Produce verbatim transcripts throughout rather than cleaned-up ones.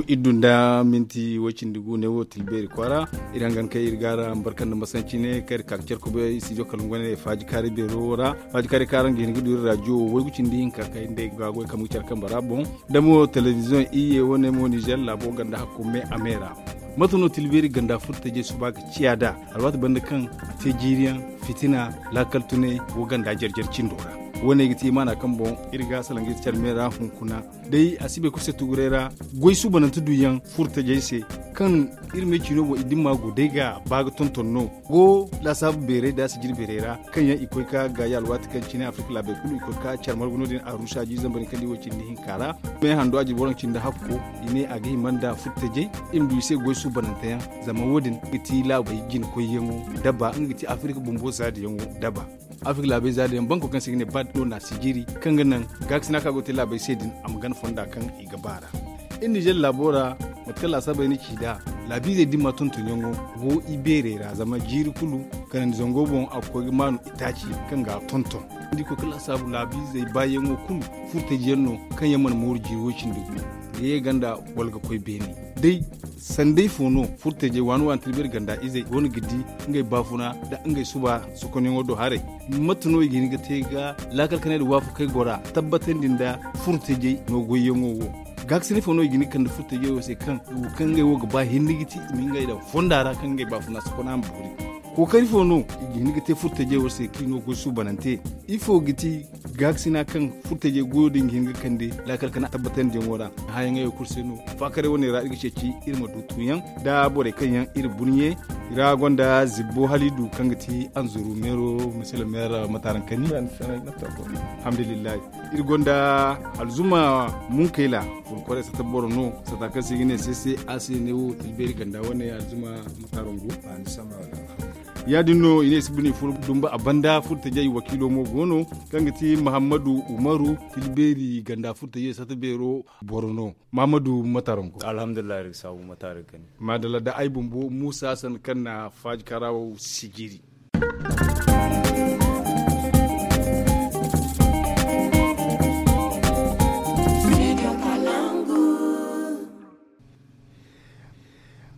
Iri du nda minti way-cindi gu ne wo tilbeeri kwaara. Iri hangan kay iri ga araŋ barka nda masanci ne kaŋ iri ka ga care kubay studio kalungu wane faaji kaari beero wo ra. Faaji kaari kaŋ araŋ ga hin ga du iri rajo wo waygu cindi hinka kay nda ay ga goy kambe ga care kambe ra boŋ. Da mo telebiziyoŋ iyye wane mo nizer laabo ganda hakko me a me ra. Mate no tilbeeri ganda furtajey suba ga ciya nd'a? Alwaati banda kaŋ a te jiiriyaŋ, fitina, laakal tunay go ganda jare-jare cindo ra. Wo- ne ga ti imaana kaŋ boŋ iri ga salaŋ ga iri care me ra hunkuna. Day a si bay kulu se tuguray ra, goy suubanante duyaŋ furtajey se, kaŋ iri me ciino boŋ i dimma go day ga ba ga tonton no. Go laasaabu beeray da sijiri beeray ra, kaŋ yaŋ i koy ka gaayi alwaati kaŋ cine afirka laabey kulu i koy ka care margu no- din arusa jiiri zambar kaŋ di wo cindi hinka ra. Me hando a jirbi waranka cindi hakko, i ne a ga hima nda furtajey, i ma du i se goy suubanante yaŋ. Zama wo- din ga ti laabey jinakoyyaŋo daba nga ga ti afirka bumbo zaadiyaŋo daba. Afirka laabey zaadiyaŋ banko kaŋ se i ga ne bad no na sijiri, kaŋ ga naŋ gaakasina kaŋ a go ga te laabey se din a ma gana fonda kaŋ i ga ba ra. Iri nizer laabo ra, mate kaŋ laasaabey na ci nd'a, laabiizey dimma tontonyaŋo go i beerey ra zama jiiri kulu kanandi zango boŋ a ga koy ga maanu itaaci kaŋ ga tonton. Ni di koy ga laasaabu laabiizey baayaŋo kulu furtajiyaŋ no, kaŋ yaŋ mana mooru jiiri way-cindi gu ga ye ganda wala ga koy beene. Day sanday fo no furtajey waani waani tilbeeri ganda izey go no ga di ngey baafuna nda ngey suba sokonyaŋo do haray? Mate no i ga hin ga te ga laakal kanay nda waafakey gora tabbatandi nda furtajey no goyyaŋo wo? Gaakasina fo no i ga hin ga kande furtajey wo se kaŋ wo kaŋ ngey wo ga ba hinne ga ti i ma ngey daŋ fonda ra kaŋ ngey baafuna sokona ma boori? Kookari fo no i ga hin ga te furtajey wo se kaŋ i no goy suubanante? Ifo ga ti gaakasina kaŋ furtajey goyo din ga hin ga kande laakal kana tabbatandiyaŋo ra? Hayaŋey wo kulu se no faakaray wane ra iri ga ceeci iri ma du tuuyaŋ nda borey kaŋ yaŋ iri burɲe ra gonda zibbo halidu kaŋ ga ti anzuru meero, misilameera mataarankani. Alhamdulillahi. Iri gonda alzuma munkayla, furkoray sata boro no sata kaŋ se i ga ne sese a se ne wo tilbeeri ganda wane alzuma matarangu. Ya- din no i ne i si bine furo dumba a banda furtajey wakiilo mo go no, kaŋ ga ti mahammadu umaru, tilbeeri ganda furtajey sata beero boro no. Mahammadu matarangu. Alhamdulillahi iri ga saabu matarangu kani. Maadalla da ay bumbo muusa sanni kaŋ na faaji karawo sijiri.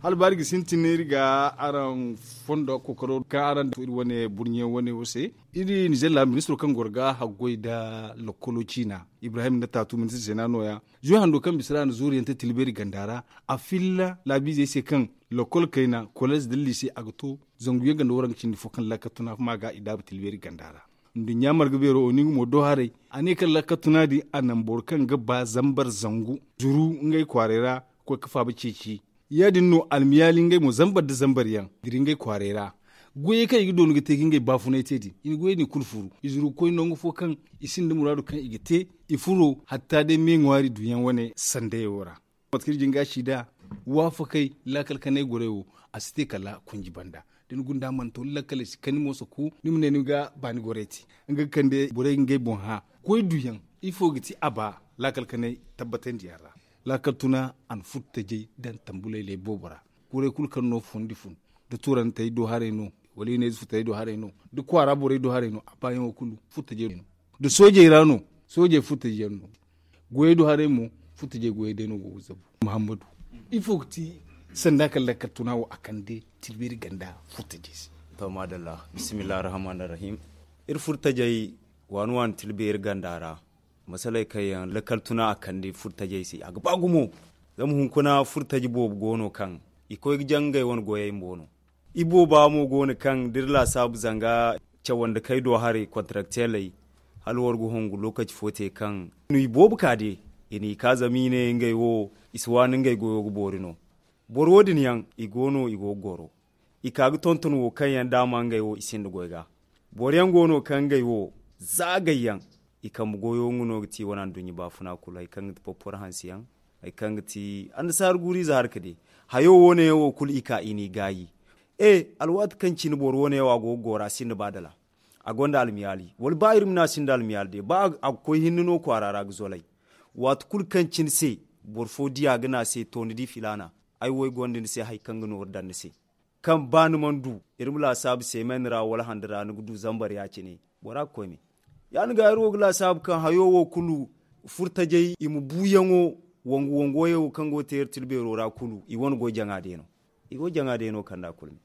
Hala ba iri ga sintin iri ga araŋ fondo kookaro kaŋ araŋ daŋ iri wane burɲe wane wo se. Iri nizer laabu ministiro kaŋ goro ga haggoy nda lokolo ciina, ibrahim nda taatu ministir zeena no- ya. Zuwe hando kaŋ bisa ra a na zooriyaŋ te tilbeeri ganda ra, a filla laabiizey se kaŋ lokol kayna koleez nda liise a ga to zangu yaŋ ganda waranka cindi fo kaŋ laakal tuna ma ga i daabu tilbeeri ganda ra. Nduɲɲa marga beero oningu mo do haray, a ne kaŋ laakal tuna din a naŋ boro kaŋ ga ba zambar zangu zuru ngey kwaaray ra ga koy ga faaba ceeci. Ya- din no almiyaali ngey mo zambar nda zambar yaŋ dira ngey kwaaray ra. Goyey kaŋ i ga doonu ga te ga ngey baafunay te din i na goyey din kulu furu i zuru ga koy nangu fo kaŋ i sinda muraadu kaŋ i ga te. I furo hatta day me ŋwaari duyaŋ wane sandayo ra. Mate kaŋ iri jin ga a ci nd'a, waafakey laakal kanay gorey wo, a si te kala kunji banda. Da ni gunda mana to ni lakkaley si kani mo soko ni ma ne ni ga baani gorey te. Nga ga kande borey ga ngey boŋ hã. Goy duyaŋ, ifo ga ti a ba laakal kanay tabbatandiyaŋ ra? Laakal tuna a na furtajey daŋ tambulaylay boobo ra. Kuray kulu kaŋ no fundi fun, da tuurantey do haray no, wala i ne ize futayey do haray no, da kwaara borey do haray no a baayaŋo kulu furtajey no. Da soojey ra no, soojey furtajey yaŋ no. Goyey do haray mo, furtajey goyey day no go ga zabu. Muhammadu, ifo ga ti sanda kaŋ lakkal tuna wo a kande tilbeeri ganda furtajey se? To maadalla, bismillah arrahman arrahim. Iri furtajey waani waani tilbeeri ganda ra, masaley kaŋ yaŋ lakkal tuna a kande furtajey se a ga ba gumo. Zama hunkuna furtaji boobo go no kaŋ i koy ga jaŋ ngey wane goyey mbo no. Ibooba mo go no kaŋ da iri laasaabu zanga cawandikey do haray kontarakteeley, hala war ga hongu lookaci fo te kaŋ i boobo ka de. I n'i ka zama i ne ngey wo i si waani ngey goyo ga boori no. Boro wo- din yaŋ i go no i go ga goro. I ka ga tonton wo kaŋ yaŋ daama ngey wo i sinda goy ga. Boro yaŋ go no kaŋ ngey wo zaagay yaŋ. I kambe goyo nga no ga ti wane anduɲɲa baafuna kulu hari kaŋ ga ti porporo hanse yaŋ, hari kaŋ ga ti annasaara guuru ize harka de. Hayo wo- ne yaŋ wo kulu i ka i n'i gaayi. E, alwaati kaŋ cine boro wo- ne yaŋ wo a go ga gooro a sinda ba dala. A gonda almiyaali wala ba iri ma ne a sinda almiyaali day ba a ga koy hinne no kwaara ra ga zolay. Waati kulu kaŋ cine se boro fo di a ga ne a se to ni di filaana, ay wo ay gonda ni se hari kaŋ ga nooru daŋ ni se. Kaŋ ba ni mana du iri ma laasaabu seemen ra wala hande ra ni ga du zambar ya- cine, bora ga koy me. Ya- din ga iri wo ga laasaabu kaŋ hayo wo kulu furtajey i ma buuyaŋo Wangu wangu wo kaŋ go ga te iri tira beero ra kulu i wane goy jaŋa day no. I go jaŋa day no kand'a kulu me.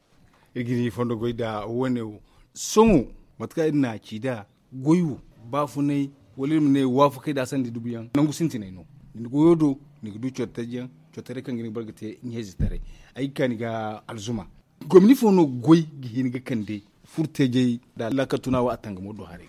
Iri ga ni fondo goy nda wane wo. Sohõ mate kaŋ iri na a ci nd'a, goy wo, baafunay, wala iri ma ne waafakey nda sanda dubuyaŋ nangu sintinay no. Ni na goyo do, ni ga du coro taji yaŋ, coro taray kaŋ ga ni ga bare ga te ɲeezi taray. Ay ga ka ni ga alzuma. Gomni fo no goy ga hin ga kande furtajey nda laakal tuna wo a tangamo do haray?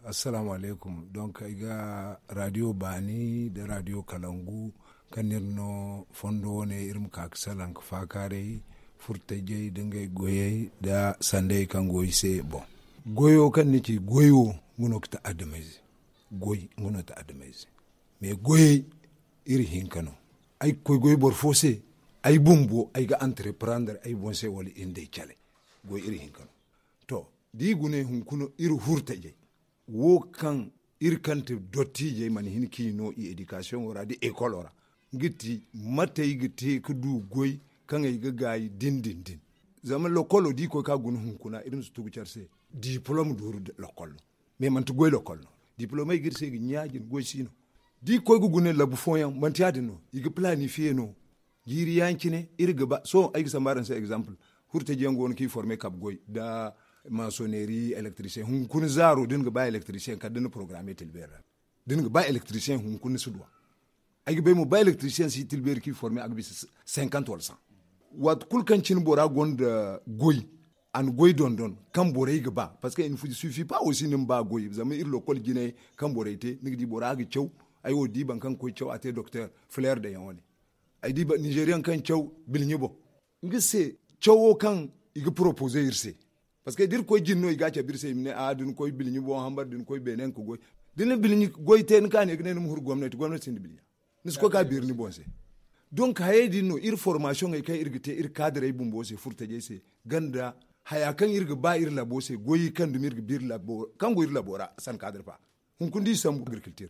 Assalaamu alaykum. Donk ay ga radio baani nda radio kalangu kaŋ no iri no fondo wane iri ma ka ga salaŋ ga faakaaray furtajey nda ngey goyey nda sandey kaŋ go i se. Boŋ, goyo kaŋ ni ci goy wo, nga no ga ti adamayze. Goy nga no ga ti adamayze. Mais goyey, iri hinka no. Ay ga koy goy boro fo se, ay bumbo ay ga entreprendre ay boŋ se wala iri nd'ey cale. Goy iri hinka no. To, da i gune hunkuna iri hurtajey wo kaŋ iri kaŋ ti dottiijey mana hin k'i no i éducation wo ra nda école wo ra, nga ti mate ay ga te ga du goy kaŋ ay ga gaayi din din din. Zama lokolo da i koy ka guna hunkuna iri ma si tugu care se, diplôme duuru lokol no. Mais manti goy lokol no. Diplôme ay ga iri se ga ɲaaji ni goy si no. Da i koy ga guna labu fooyaŋ manti ya- din no i ga planifiye no. Jiiri ya- cine iri ga ba sohõ ay ga sambu araŋ se exemple. Hurtaji yaŋ go no kaŋ i forme kabe goy nda maçonnerie, électricien hunkuna zaaro da ni ga ba électricien kala da ni programme tilbeeri ra. Da ni ga ba électricien hunkuna ni si du a. Ay ga bay mo ba électricien si tilbeeri kaŋ i forme a ga bisa cinquante wala cent. Waati kulu kaŋ cine bora gonda goy, a na goy dondon kaŋ borey ga ba parce que il ne suffit pas aussi ni ma ba goy zama iri lokol jinay kaŋ borey te ni ga di bora ga caw. Ay wo di boro kaŋ ga koy caw a te docteur, fleur de yaŋ wane. Ay di nigerian kaŋ caw bilɲi boŋ. Nga se cawo kaŋ i ga proposer iri se. Parce que da iri koy jine no i ga a cabe iri se i ma ne a da ni koy bilɲi boŋ hambar da ni koy beene nga ga goy. Da ni na bilɲi goy te ni ka ne ga ne ni ma huru gomnati gomnati sinda bilɲa. Ni si koy ka beeri ni boŋ se. Donc hayey din no iri formation ey kaŋ iri ga te iri kadirey bumbo se furtajey se, ganda haya kaŋ iri ga ba iri labo se goy kaŋ dumi iri ga ba iri labo kaŋ go iri labo ra san kadir fa. Hunkuna da i sambu agriculture,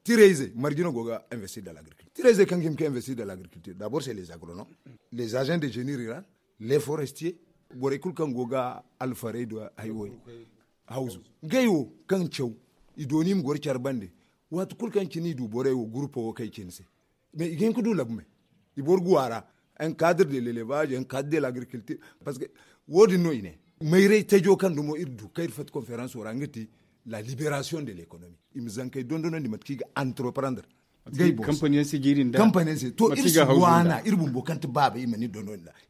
tirayzey marjino go ga investir de l'agriculture tirayzey kaŋ ga hima ka investir de l'agriculture d'abord c'est les agronomes, les agents de génie rural, les forestiers, borey kulu kaŋ go ga alfarey do haywoy hawzu. Ngey wo kaŋ caw i dooni i ma goro care bande. Waati kulu kaŋ cine i du borey wo groupe wo kay cine se. Mais i ga hin ga du labu me i boro guwa ra. Un cadre de l'élevage un cadre de l'agriculture. Parce que wo- din no i ne mayray tajo kaŋ dumo iri du kaŋ iri fatta conférence wo ra nga ti la libération de l'économie. I ma zankey dondonandi mate kaŋ i ga entreprendre. Gay boŋ se kampanyaŋ se to iri si waana iri bumbo kaŋ ti baaba i mana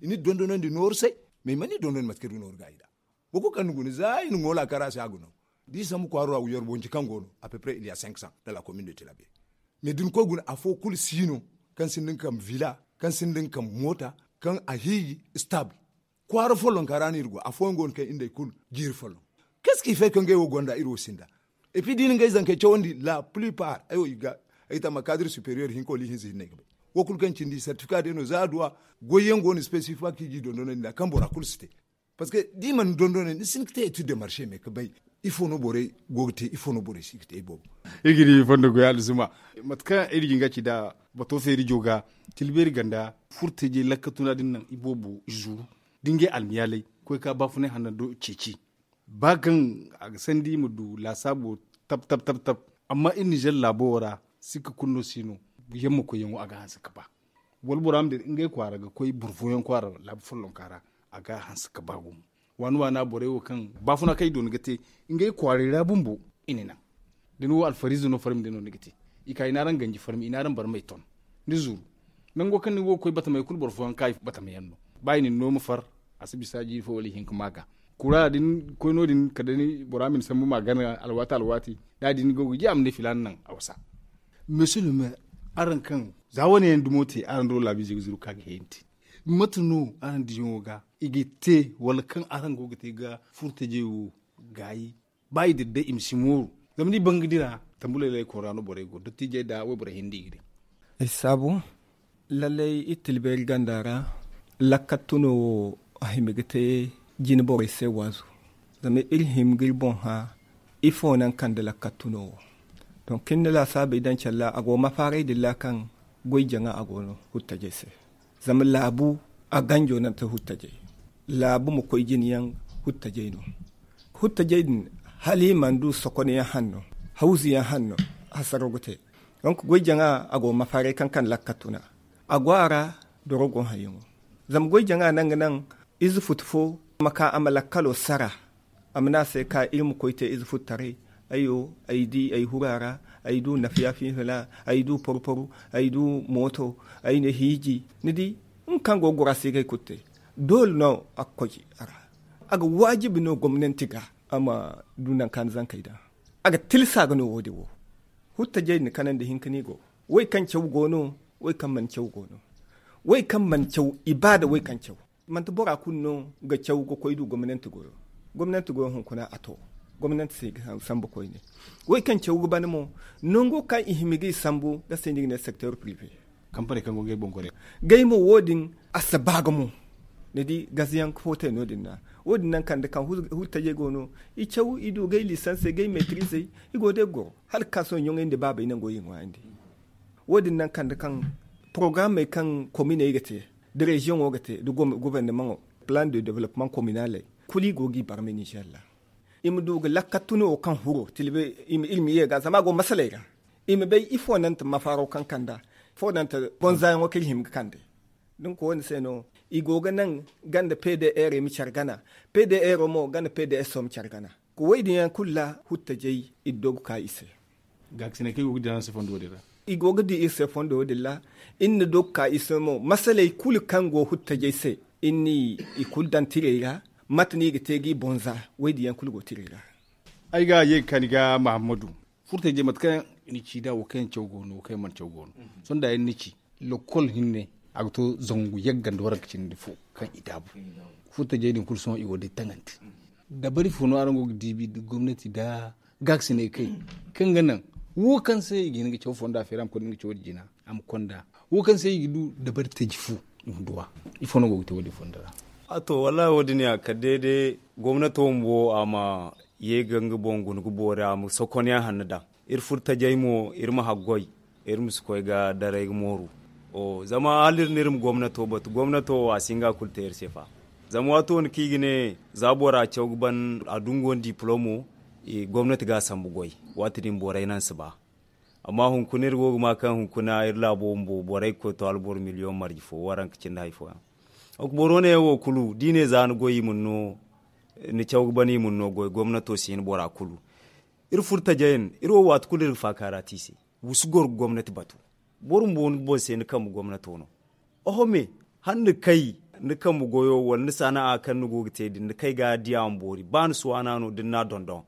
iri dondonandi nooru se. Mais i mana iri dondonandi mate kaŋ iri ga nooru gaayi nd'a. Boro kulu kaŋ ni guna za i na ŋoola kara se a ga no. Da i sambu kwaaro ra wuyar bonci kaŋ go no à peu près il ya cinq cents dans la commune de tilabe. Mais da ni koy guna afo kulu si no kaŋ sinda nga kambe villa, kaŋ sinda nga kambe moota, kaŋ a hiiji stable. Kwaara follonka ra no iri go afooyaŋ go no kaŋ iri nd'ey kulu jiiri folloŋ. Qu'est ce qui fait que ngey wo gonda iri wo sinda? Et puis da i na ngey zankey cawandi la plupart ay wo i ga ay tama cadre supérieur hinka wala ihinza hinne ay ga bay. Wo kulu kaŋ cindi certificat day no za a du a goyyaŋ go no spécifique kaŋ i ga i dondonandi nd'a kaŋ bora kulu si te. Parce que da i mana dondonandi ni si hin ga te étude de marché mais ga bay ifo no borey go ga te ifo no borey si ga te ay boobo. Iri ga di fondo goy alzuma. Mate kaŋ iri ga hin ga ci nd'a bato feeri jo ga tilbeeri ganda furtajey lakkatuna din naŋ i boobo i zuru da ngey almiyaaley koy ka baafunay hanna do ceeci. Ba kaŋ a ga sandi i ma du laasaabo tab tab tab tab. Amma iri nizer laabo wo ra sikka kulu no si no. Yamma koyyaŋo a ga hanse ga ba wala bora ma dira ngey kwaara ga koy boro fooyaŋ kwaara laabu follonka ra. A ga hanse ga ba gumo waani waana borey wo kaŋ baafuna kaŋ i doona ga te ngey kwaaray ra bumbo i na naŋ. Da ni wo alfariize no farmi day no ni ga te i ka i n'araŋ ganji farmi i n'araŋ barmey ton. Ni zuru nango kaŋ ni go ga koy batamey kulu boro fooyaŋ ga ka i batama yaŋ no. Ba i na ni no ma far a si bisa jiiri fo wala ihinka ma ga kura da ni koy no- din kala day bora ma ni sambu ma gana alwaati alwaati. Da a di ni go ga di a ma ne filaana naŋ a wasa. Monsieur le maire, araŋ kaŋ za wane yaŋ dumo te araŋ do laabiizey ga zuru ka ga heyanti. Mate no araŋ diyaŋo ga i ga te wala kaŋ araŋ go ga te ga furtajey wo gaayi? Ba i dira day i ma si mooru zama da i ban ga dira tambulay laykon ra no borey go dottiijey nda wayborey hinda i ga di. Ay saabu lallay iri tilbeeri ganda ra lakkat tuno wo a hima ga te jine borey se waazu. Zama iri hima ga iri boŋ hã ifo naŋ kande lakkat tuno wo. Donk iri na laasaabey daŋ care ra a go mafaaray din ra kaŋ goy jaŋa a go no huttajey se. Zama laabu a ganjo naŋ ti huttajey. Laabu ma koy jine yaŋ huttajey no. Huttajey din hala i mana du sokonyaŋ hanno hawzu yaŋ hanno hasaro ga te. Donk goy jaŋa a go ga mafaaray kaŋ kande lakkal tuna. A go a ra dorogo hayyaŋo. Zama goy jaŋa naŋ ga naŋ ize futu fo ma ka a ma lakkalo sara. A ma ne a se ka iri ma koy te ize futtaray. Ay wo ay di ay huru a ra. Ay du nafiya fiifila. Ay du porporo. Ay du mooto. Ay na hiiji. Ni di nga kaŋ go ga goro a si ga hay kulu te. Doole no a ga koy a ra. A ga waajibi no gomnanti ga a ma du nangu kaŋ a na zankey daŋ. A ga tilsa ga no wo- din wo. Huttajey na kanandi hinka no i go. Way kaŋ caw go no. Way kaŋ mana caw go no. Way kaŋ mana caw i ba da way kaŋ caw. Manti bora kulu no ga caw ga koy du gomnanti goyo. Gomnanti goyo hunkuna a to. Gomnanti se ga sambu koyne. Way kaŋ caw ga ban mo, nango kaŋ i hima ga i sambu ga se no i ga ne secteur privé. Kampaney kaŋ go ga ngey boŋ gore. Gay mo wo- din a si ba ga mo. Ni di gaziyaŋ fo te no- din na. Wo- din naŋ kande kaŋ huttajey go no. I caw i du gay lisansey gay meetirizey. I go day goro hala ga ka sohõ ɲoŋey nda baabey nango i ŋwaayandi. Wo- din naŋ kande kaŋ porogaramey kaŋ kominey ga te da reziyoŋo ga te da gobornomaŋo, plan de development kominaley, kulu i go g'i barmay ninzeer ra. I ma du ga lakkal tuna wo kaŋ huro tilbe. I ma iri ma ye ga zama a go masaley ra. I ma bay ifo naŋ ti mafaaro kaŋ kanda ifo naŋ ti bonzayaŋo kaŋ iri hima ga kande. Din ko wo- ni se no i go ga naŋ ganda pdr i ma care gana. Pdr mo ganda pds o ma care gana. Ga wo- din yaŋ kulu ra huttajey iri do ga ka i se. Gaakasiney kaŋ i go ga dira ni se fondo wo- din ra. I go ga di iri se fondo wo- din ra. Iri na do ga ka iri se mo masaley kulu kaŋ go huttajey se. Iri n'i kulu daŋ tirey ra. Mate no i ga te g'i bonza? Wo- din yaŋ kulu go tirey ra. Ay ga ye ga ka ni ga mahammadu. Furtajey mate kaŋ ni ci nd'a wo kaŋ yaŋ caw go no wo kaŋ yaŋ mana caw go no. Sohõ da yaŋ ni ci lokol hinne a ga to zangu yagga nda waranka cindi fo kaŋ i daabu. Furtajey din kulu sohõ i go day taŋandi. Dabari fo no araŋ go ga diibi nda gomnati nda gaakasiney kay kaŋ ga naŋ wo kaŋ se i ga hin ga caw fonda feeri a ma konda nga caw din jina a ma konda wo kaŋ se i ga du dabari taji fu i ma duw'a. Ifo no go ga te wo- din fonda ra? A to wallahi wo- din ya kala day day gomnato bumbo a ma ye ga nga boŋ guna ga boori a ma sokonyaŋ hanno daŋ. Iri furo tajay mo iri ma haggoy iri ma si koy ga daray ga mooru. Zama hala iri no iri ma gomnato batu gomnato wo a si hin ga a kulu te iri se fa. Zama waato wane kaŋ i ga ne za bora caw ga ban a dungu wane diplomo gomnati ga a sambu goy. Waati din borey naŋ si ba. Amma hunkuna iri go ga ma kaŋ hunkuna iri laabo bumbo borey ga koy to hala boro miliyoŋ marje fo waranka cindi hari fooyaŋ. Boro wane yaŋ wo kulu da i ne za ni goy i ma ni no ni caw ga ban i ma ni no goy gomnato si hin bora kulu. Iri furo tajay no iri wo waati kulu iri ga faakaara te i se. Wa si goro ga gomnati batu. Boro bumbo ni boŋ se ni kambe gomnato no. Oho me hala ni kay ni kambe goyo wala ni sana'a kaŋ ni go ga te din ni kay ga a di a ma boori ba ni si waana no da ni n'a dondon.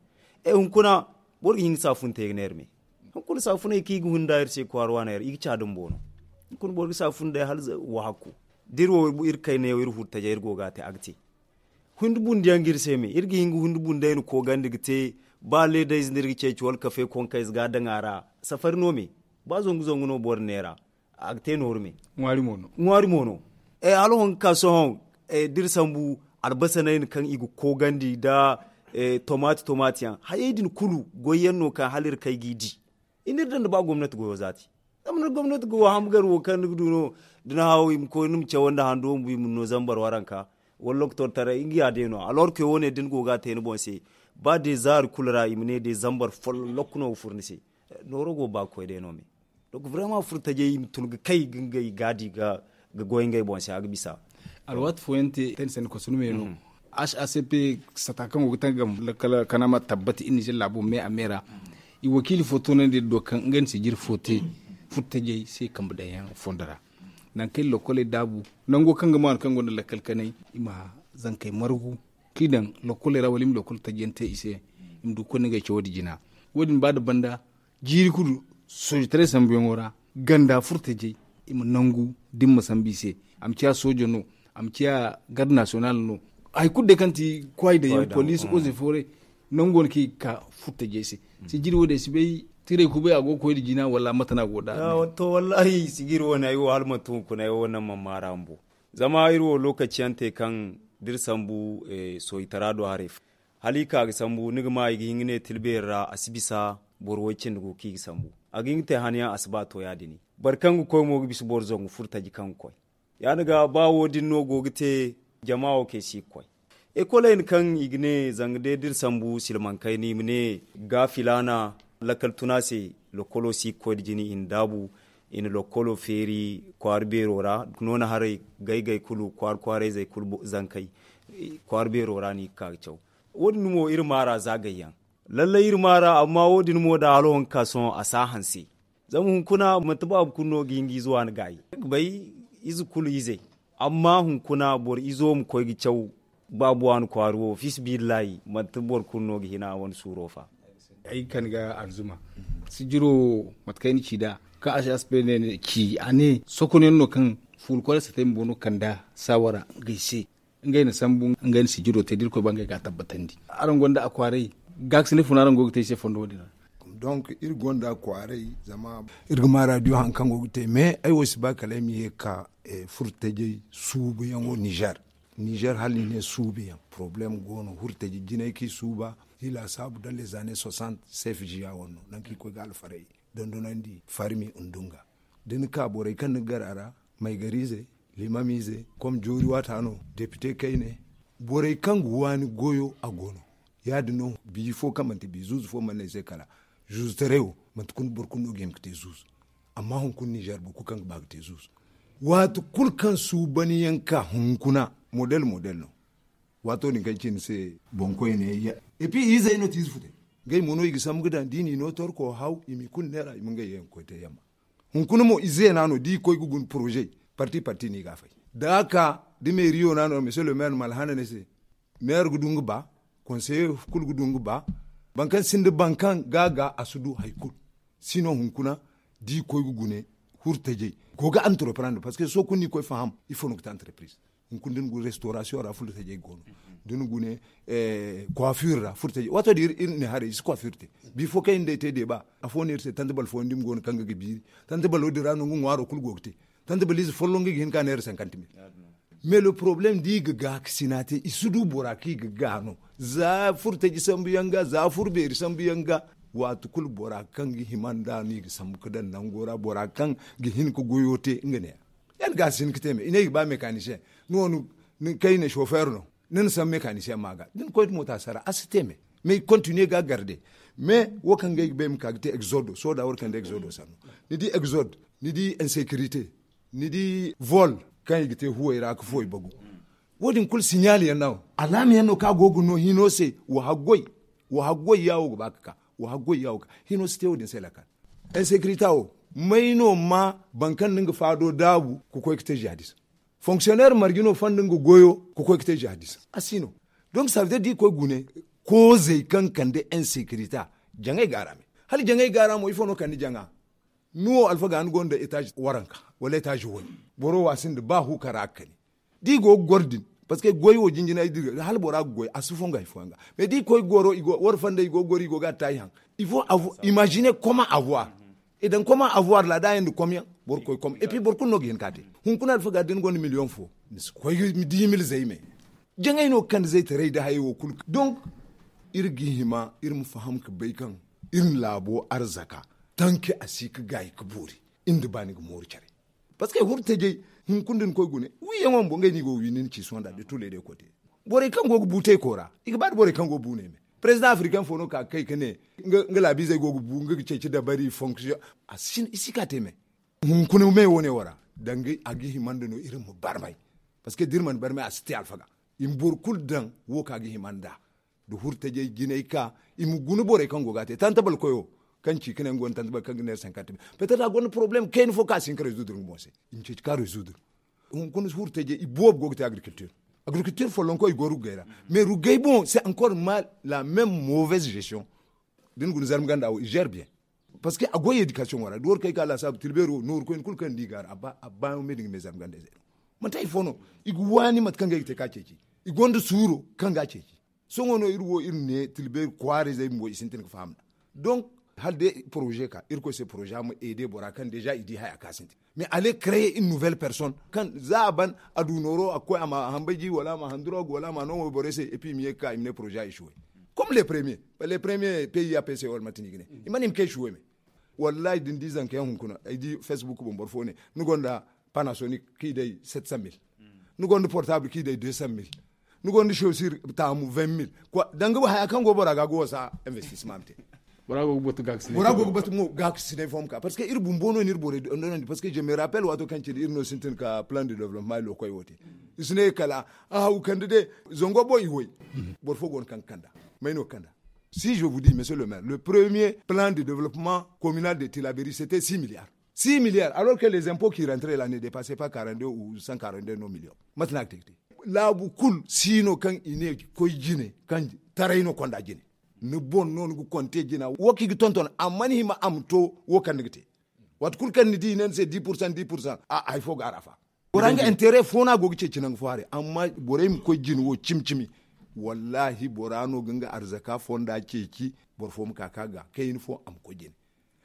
Hunkuna boro ga hin ga saafun te ga neera me. Hunkuna saafuney kaŋ i ga hun nda iri se kwaara waaney ra i ga ca dumbo no. Hunkuna boro ga saafun day hala wahakku da iri wo iri kayna yaŋ iri furo tajay iri go ga a te a ga te. Hundi bundi yaŋ ga iri se me iri ga hin ga hundi bundey na koogandi ga te. Ba leedayze no iri ga ceeci wala kafe konkayze ga a daŋ a ra. Safari no me ba zangu zangu no boro neera. A ga te nooru me. Ŋwaari mo no. Ŋwaari mo no. Hala hõ ga ka sohõ da iri sambu albasanay no kaŋ i ga koogandi nda tomaati tomaati yaŋ hayey din kulu goy yaŋ no kaŋ hala iri kay g'i di. I na iri daŋ nda ba gomnati goyo zaati. Zama ni gomnati goyo hamgar wo kaŋ ni ga du no da ni haw i ma koy ni ma caw nda hando bumbo i ma ni no zambar waranka wala lokotor taray nga ya day no a lorke wo- ne da ni go ga a te ni boŋ se. Ba day zaari kulu ra i ma ne day zambar folloŋ lokku no ga furo ni se. Nooro go ba ga koy day no me. Donc vraiment furo tajay i ma tun ga kay ga ngey gaadi ga goy ngey boŋ se a ga bisa. Alwaati fooyaŋ te tani sanda kosunu me no. H A C P sata kaŋ go ga tangam lakkal kanama tabbati iri nizer laabo me a me ra. I wakiili fo toonandi iri do kaŋ ngey na sijiri fo te furo tajay se kambe daŋ yaŋ fondo ra. Nangu kaŋ iri lokoley daabu nango kaŋ ga maanu kaŋ gonda lakkal kanay i ma zankey margu kaŋ i daŋ lokoley ra wala i ma lokol tajiyaŋ te i se. I ma du ga koy nda ngey cawo din jina. Wo- din ba nda banda jiiri kulu soojitaray sambuyaŋo ra ganda furo tajay i ma nangu da ni ma sambu i se. A ma ciya soojo no a ma ciya garde nasiyonal no. Hari kulu day kaŋ ti kwaay dayaŋ poliisi oze fooray nangu wane kaŋ i ga ka furo tajay se. Sijiri wo- din ay si bay tiray kubay a go ga koy nda jina wala mate no a go nd'a. To wallahi sijiri wane ay wo hala manti hunkuna ay wo naŋ mana maara bumbo. Zama iri wo lookaci yaŋ te kaŋ da iri sambu soojitara do haray fo hala i ka ga sambu ni ga ma i ga hin ga ne tilbeeri ra a si bisa boro way cindi go kaŋ i ga sambu. A ga hin ga te han yaŋ a si ba to ya- din boro kaŋ ga koy mo ga bisa boro zangu furo taji kaŋ ga koy. Ya- din ga ba wo- din no go ga te jama wo kaŋ ay si ga koy. Ekoley no kaŋ i ga ne zanga day da iri sambu silmaŋ kayna i ma ne ga filaana Lakkal tuna se, lokolo si ga koy nda jina i na daabu, i na lokolo feeri kwaara beero ra. Noona haray, gaygay kulu kwaara kwaarayzey kulu zankey, kwaara beero ra no i ga ka ga caw. Wo- din mo iri maara za gayyaŋ. Lallay iri maara amma wo- din mo da hala waŋ ga ka sohõ a si a hanse. Zama hunkuna manti baabu kulu no ga hin ga ize waani gaayi ga bay, ize kulu izey. Amma hunkuna boro izo ma koy ga caw baabu waani kwaara wo fiisabilillahi manti boro kulu no ga hin a wane suuro fa. Ay kan ga alzuma sijiro mate kaŋ ay na ci nd'a kaŋ a si aspe ne ci a ne sokonyaŋ no kaŋ fuula koy da satay bumbo no kand'a saawara ngey se. Ngey na sambu ngey na sijiro te da irkoy ba ngey ga a tabbatandi. Araŋ gonda a kwaaray gaakasinay funa araŋ go ga te ay se fondo wo- din ra? Donc iri gonda a kwaaray zama iri ga ma radio hari kaŋ go ga te mais ay wo si ba kala ay ma ye ga ka furtajey suubuyaŋo nizer. Nizer hala i ne suubuyaŋ problème go no furtajey jinay kaŋ i suuba. I laasaabu da les années soixante sef jiya wane no nangu kaŋ i koy ga alfaray dondonandi farmi ndunga da ni ka borey kaŋ ni ga gar a ra maygarize limamize kom joori waata no depite kayne. Borey kaŋ ga waani goyo a go no. Ya- din no biya fo kaŋ manti biya zuuzu fo mana ne ay se kala zuuzutaray wo manti kulu boro kulu no ga hima ga te zuuzu. Amma hunkuna nizer boro kulu kaŋ ga ba ga te zuuzu waati kulu kaŋ suubanyaŋ ka hunkuna model model no. Waato din kaŋ ci ni se boŋkoyne ya epi izey no ti ize futay. Ngey mo no i ga sambu ga daŋ da i n'i no torko haw i m'i kulu neera i ma ngey yaŋ ga koy te yamma. Hunkuna mo ize no a no da i koy ga guna poroze parti parti no i ga a fay da a ka da meeriyo no a no mese le maire ma alhana ni se. Meere ga du nga ba konseye kulu ga du nga ba. Boro kaŋ sinda boro kaŋ ga a ga a si du hari kulu. Sino hunkuna da i koy ga gune hurtajey go ga antroprendre parceque sohõ kulu no i koy faham ifo no ga te antroprize. Hunkuna da ni gune restorasiyoŋ ra furtajey go no da ni gune kwafir ra furtajey waato da iri ne haray i si kwafir te. Bifo kaŋ iri nda ay te deeba afo no iri se tanti bala fooyaŋ da i ma go no kaŋ ga ga biiri tanti bala wo- din ra no nga ŋwaaro kulu go ga te. Tanti bala ize folloŋ ga i ga hin ka neera sankanti mil. Mais le problème da i ga gaakasina te i si du bora kaŋ i ga ga no za furtaji sambu yaŋ ga za furbeeri sambu yaŋ ga. Waati kulu bora kaŋ ga hima nd'a no i ga sambu ga daŋ nango ra bora kaŋ ga hin ga goyo te nga ne ya. Ya ni ga a si hin ga te me i ne i ga ba mekanisiyeŋ ni wo ni kayne sofeer no. Ni na sambu mekanisiyeŋ ma ga da ni koy da moota sara a si te me. Mais i ga kontiniye ga a garde mais wo kaŋ ga ay ga ba ay ma ka ga te egzodo soda war kaŋ da egzodo sanno. Ni di egzod ni di insekirite ni di vol kaŋ i ga te huwey ra ga fuwey bagu. Wo- din kulu siɲaali yaŋ no alaama yaŋ no kaŋ a go ga no hino se. Wa haggoy ya wo ga ba ga ka wa haggoy ya wo ga hino si te wo- din se lakkal. Insekirita wo may no ma boro kaŋ no nga faado daabu ga koy ga te ziyadis. Fonksiyoneer marje no fanda nga goyo ga koy ga te ziyadis a si no. Donc sabidir da i koy gune koozey kaŋ kande insekirita jaŋay ga a ra me hala jaŋay ga a ra mo ifo no kande jaŋa? Ni wo alfaga ni gonda etaaz waranka wala etaaz way boro wo a sinda ba hu kara ga kani. Da i go ga goro din parceque goy wo jinjinay dira hala bora ga goy a si fongu hari fooyaŋ ga. Mais da i koy goro war fanda i go ga goro i go ga a taayi haŋ. Imagine koma avoir i daŋ koma avoir la da a yaŋ da kom yaŋ boro koy kom et puis boro kulu no ga hin ka te. Hunkuna alfaga da ni gonda miliyoŋ fo ni si koy ga di mil zay me. Jaŋay no ga kande zaytaray nda hayey wo kulu donc iri ga hima iri ma faham ga bay kaŋ iri na laabo arzaka tanke a si ga gaayi ga boori. Iri nda ba ni ga mooru care. Parceque hurtajey hunkuna da ni koy gune wiiyaŋo bumbo ngey no i go ga wi ni na ci sohõ nda de tule de kote. Borey kaŋ go ga bu teeko ra i ga ba nda borey kaŋ go ga bu ne me. President africain fo no ka ga kay ga ne nga laabiizey go ga bu nga ga ceeci dabari fonction. A si ka te me. Hunkuna me wo- ne wo ra danga a ga hima nda no iri ma barmay. Parceque da iri mana barmay a si te alfaga. I ma boro kulu daŋ wo kaŋ a ga hima nd'a. Da hurtajey jinay ka i ma guna borey kaŋ go ga a te tantabal koyo kaŋ ci ka ne nga gonda tantabal kaŋ ga neera sankante. Petet a gonda poroblem kayna fo kaŋ a si hin ka rezudur nga boŋ se. I ma ceeci ka rezudur. Hunkuna hurtajey i boobo go ga te agrikiltir. Agrikiltir follonko i go ruggay ra mais ruggay boŋ se encore ma la même mauvaise gestion. Da ni guna zarma ganda wo i zer bien. Parceque a goy edikasiyoŋo ra da war kay ka laasaabu tilbeero nooru koyne kulu kaŋ ni di ga a ra a ba me din ga me zarma ganda ize. Manti hari fo no i ga waani mate kaŋ ga ay ga te ka ceeci. I gonda suuro kaŋ ga a ceeci. Sohõ no iri wo iri ne tilbeeri kwaara izey bumbo i sintin ga faham nd'a. Donc hala day poroze ka irkoy se poroze a ma ede bora kaŋ deja i di haya kaŋ a sintin. Mais ale kreye in nouvelle personne kaŋ za a ban a du nooro a ga koy a ma hambay ji wala a ma handurog wala a ma no mo borey se epi i ma ye ga ka i ma ne poroze a i si way. Comme les premier les premier pay ya pay se wala mate no i ga ne i mana i ma kay si way me. Wallahi da ni di zanka yaŋ hunkuna ay di facebook boŋ boro fo ne ni gonda panasonic kaŋ i day sept cent mille. Ni gonda portable kaŋ i day deux cent mille. Ni gonda chaussure taamu vingt mille. Danga haya kaŋ go bora ga go wasa investissement ma te. Bora go ga batu gaakasinay fo ma ka parce que iri bumbo no ni iri borey dondonandi parce que je me rappelle waato kaŋ cine iri no sintin ka plan de développement lokoy wo te. I si ne kala a haw kande de zango boŋ i way. Boro fo go no kaŋ ga kanda may no ga kanda? Si je vous dis monsieur le maire, le premier plan de développement communal de tilaberi c'était six milliards. Six milliards alors que les impôts qui rentraient là ne dépassaient pas quarante-deux ou cent quarante-deux no millions. Mate no a ga te ga te laabu kulu si no kaŋ i ne koy jine kaŋ taray no konda jine. Ni boŋ no ni ga konte jina wo kaŋ i ga tonton amma ni hima a ma to wo kaŋ ni ga te. Waati kulu kaŋ ni di i ne ni se dix pour cent dix pour cent a hari fo ga a ra fa. Bora nga intérêt fo no a go ga ceeci nangu fo haray amma borey ma koy jine wo cimi cimi. Wallaahi bora no ga nga arzaka fonda ceeci. Boro fo ma ka ka ga kayna fo a ma koy jine.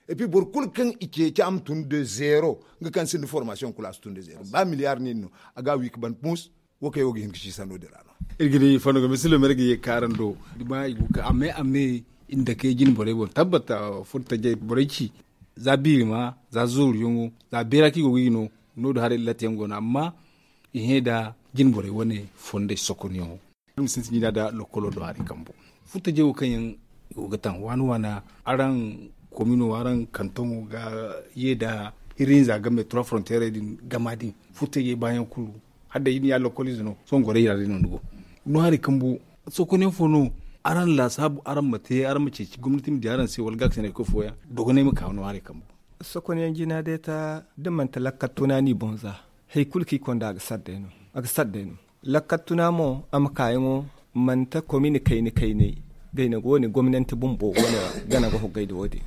Et puis boro kulu kaŋ i ceeci a ma tun de zéro nga kaŋ sinda formation kulu a si tun de zéro ba milliard nin no. A ga a wi ga ban puns. Wo kaŋ yaŋ wo ga hin ga siisa no- din ra no. Iri ga di fondo ga misi lomere ga ye ga ka araŋ do. Amma i ga ka a me a me iri nda kay jine borey boŋ tabbat. Furtajey borey ci za biiri ma za zooriyaŋo za beera kaŋ i go ga i no. No- din haray latti yaŋ go no amma i hẽ nda jine borey wane fondey sokonyaŋo. Iri ma sintin jina nda lokolo do hari kambo furtajey wo kaŋ yaŋ i go ga taŋ waana waana araŋ komino araŋ kantoŋo ga ye nda hirri hinza game trois frontières din gama din furtajey baayaŋ kulu. Hala day iri na ya lokolize no sohõ gorey ra day no ni go. No hari kambo sokonyaŋ fo no araŋ laasaabu araŋ ma te araŋ ma ceeci gomnati ma di araŋ se wala gaakasinay koy fooyaŋ dogonay ma ka no hari kambo. Sokonyaŋ jina day ta da manti lakkal tuna no i boŋ za hari kulu kaŋ i konda a ga sara day no. A ga sara day no. Lakkal tuna mo a ma kaayaŋo manti komine kayna kaynay gayna go ne gomnanti bumbo wane gana ga hoggay da wo- din.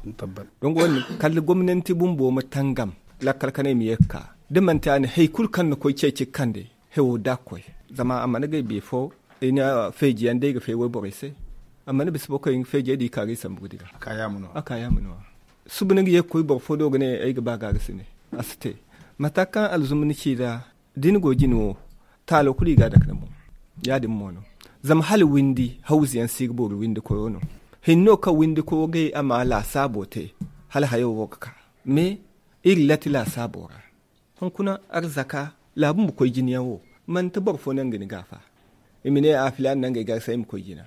Dongo wo- din kala gomnanti bumbo ma tangam lakkal kanay ma ye ga ka da manti a ne hari kulu kaŋ na koy ceeci ga kande. Hewo da ga koy zama a mana gay biya fo i na feeji yaŋ day ga fay wayborey se. A mana bisa boro kaŋ i ga feejey da i ka ga i sambu ga dira. A ka yaama no a suba ni ga ye ga koy boro fo do ga ne ay ga ba ga ga si ne. A si te mata kaŋ alzuma ni ci ra da ni go jine wo taalo kulu i ga a dake ni boŋ. Ya- din mo no zama hala windi hawzu yaŋ si ga boori windi koyo no. Hinno kaŋ windi koyo gay a ma laasaabo te hala hayo wo ga ka. Mais iri lati laasaabo ra. Hunkuna arzaka laabu ma koy jine yaŋ wo manti boro fo naŋ ga ni gaafa. I ma ne a filaana naŋ ga ay gaarsa ay ma koy jina.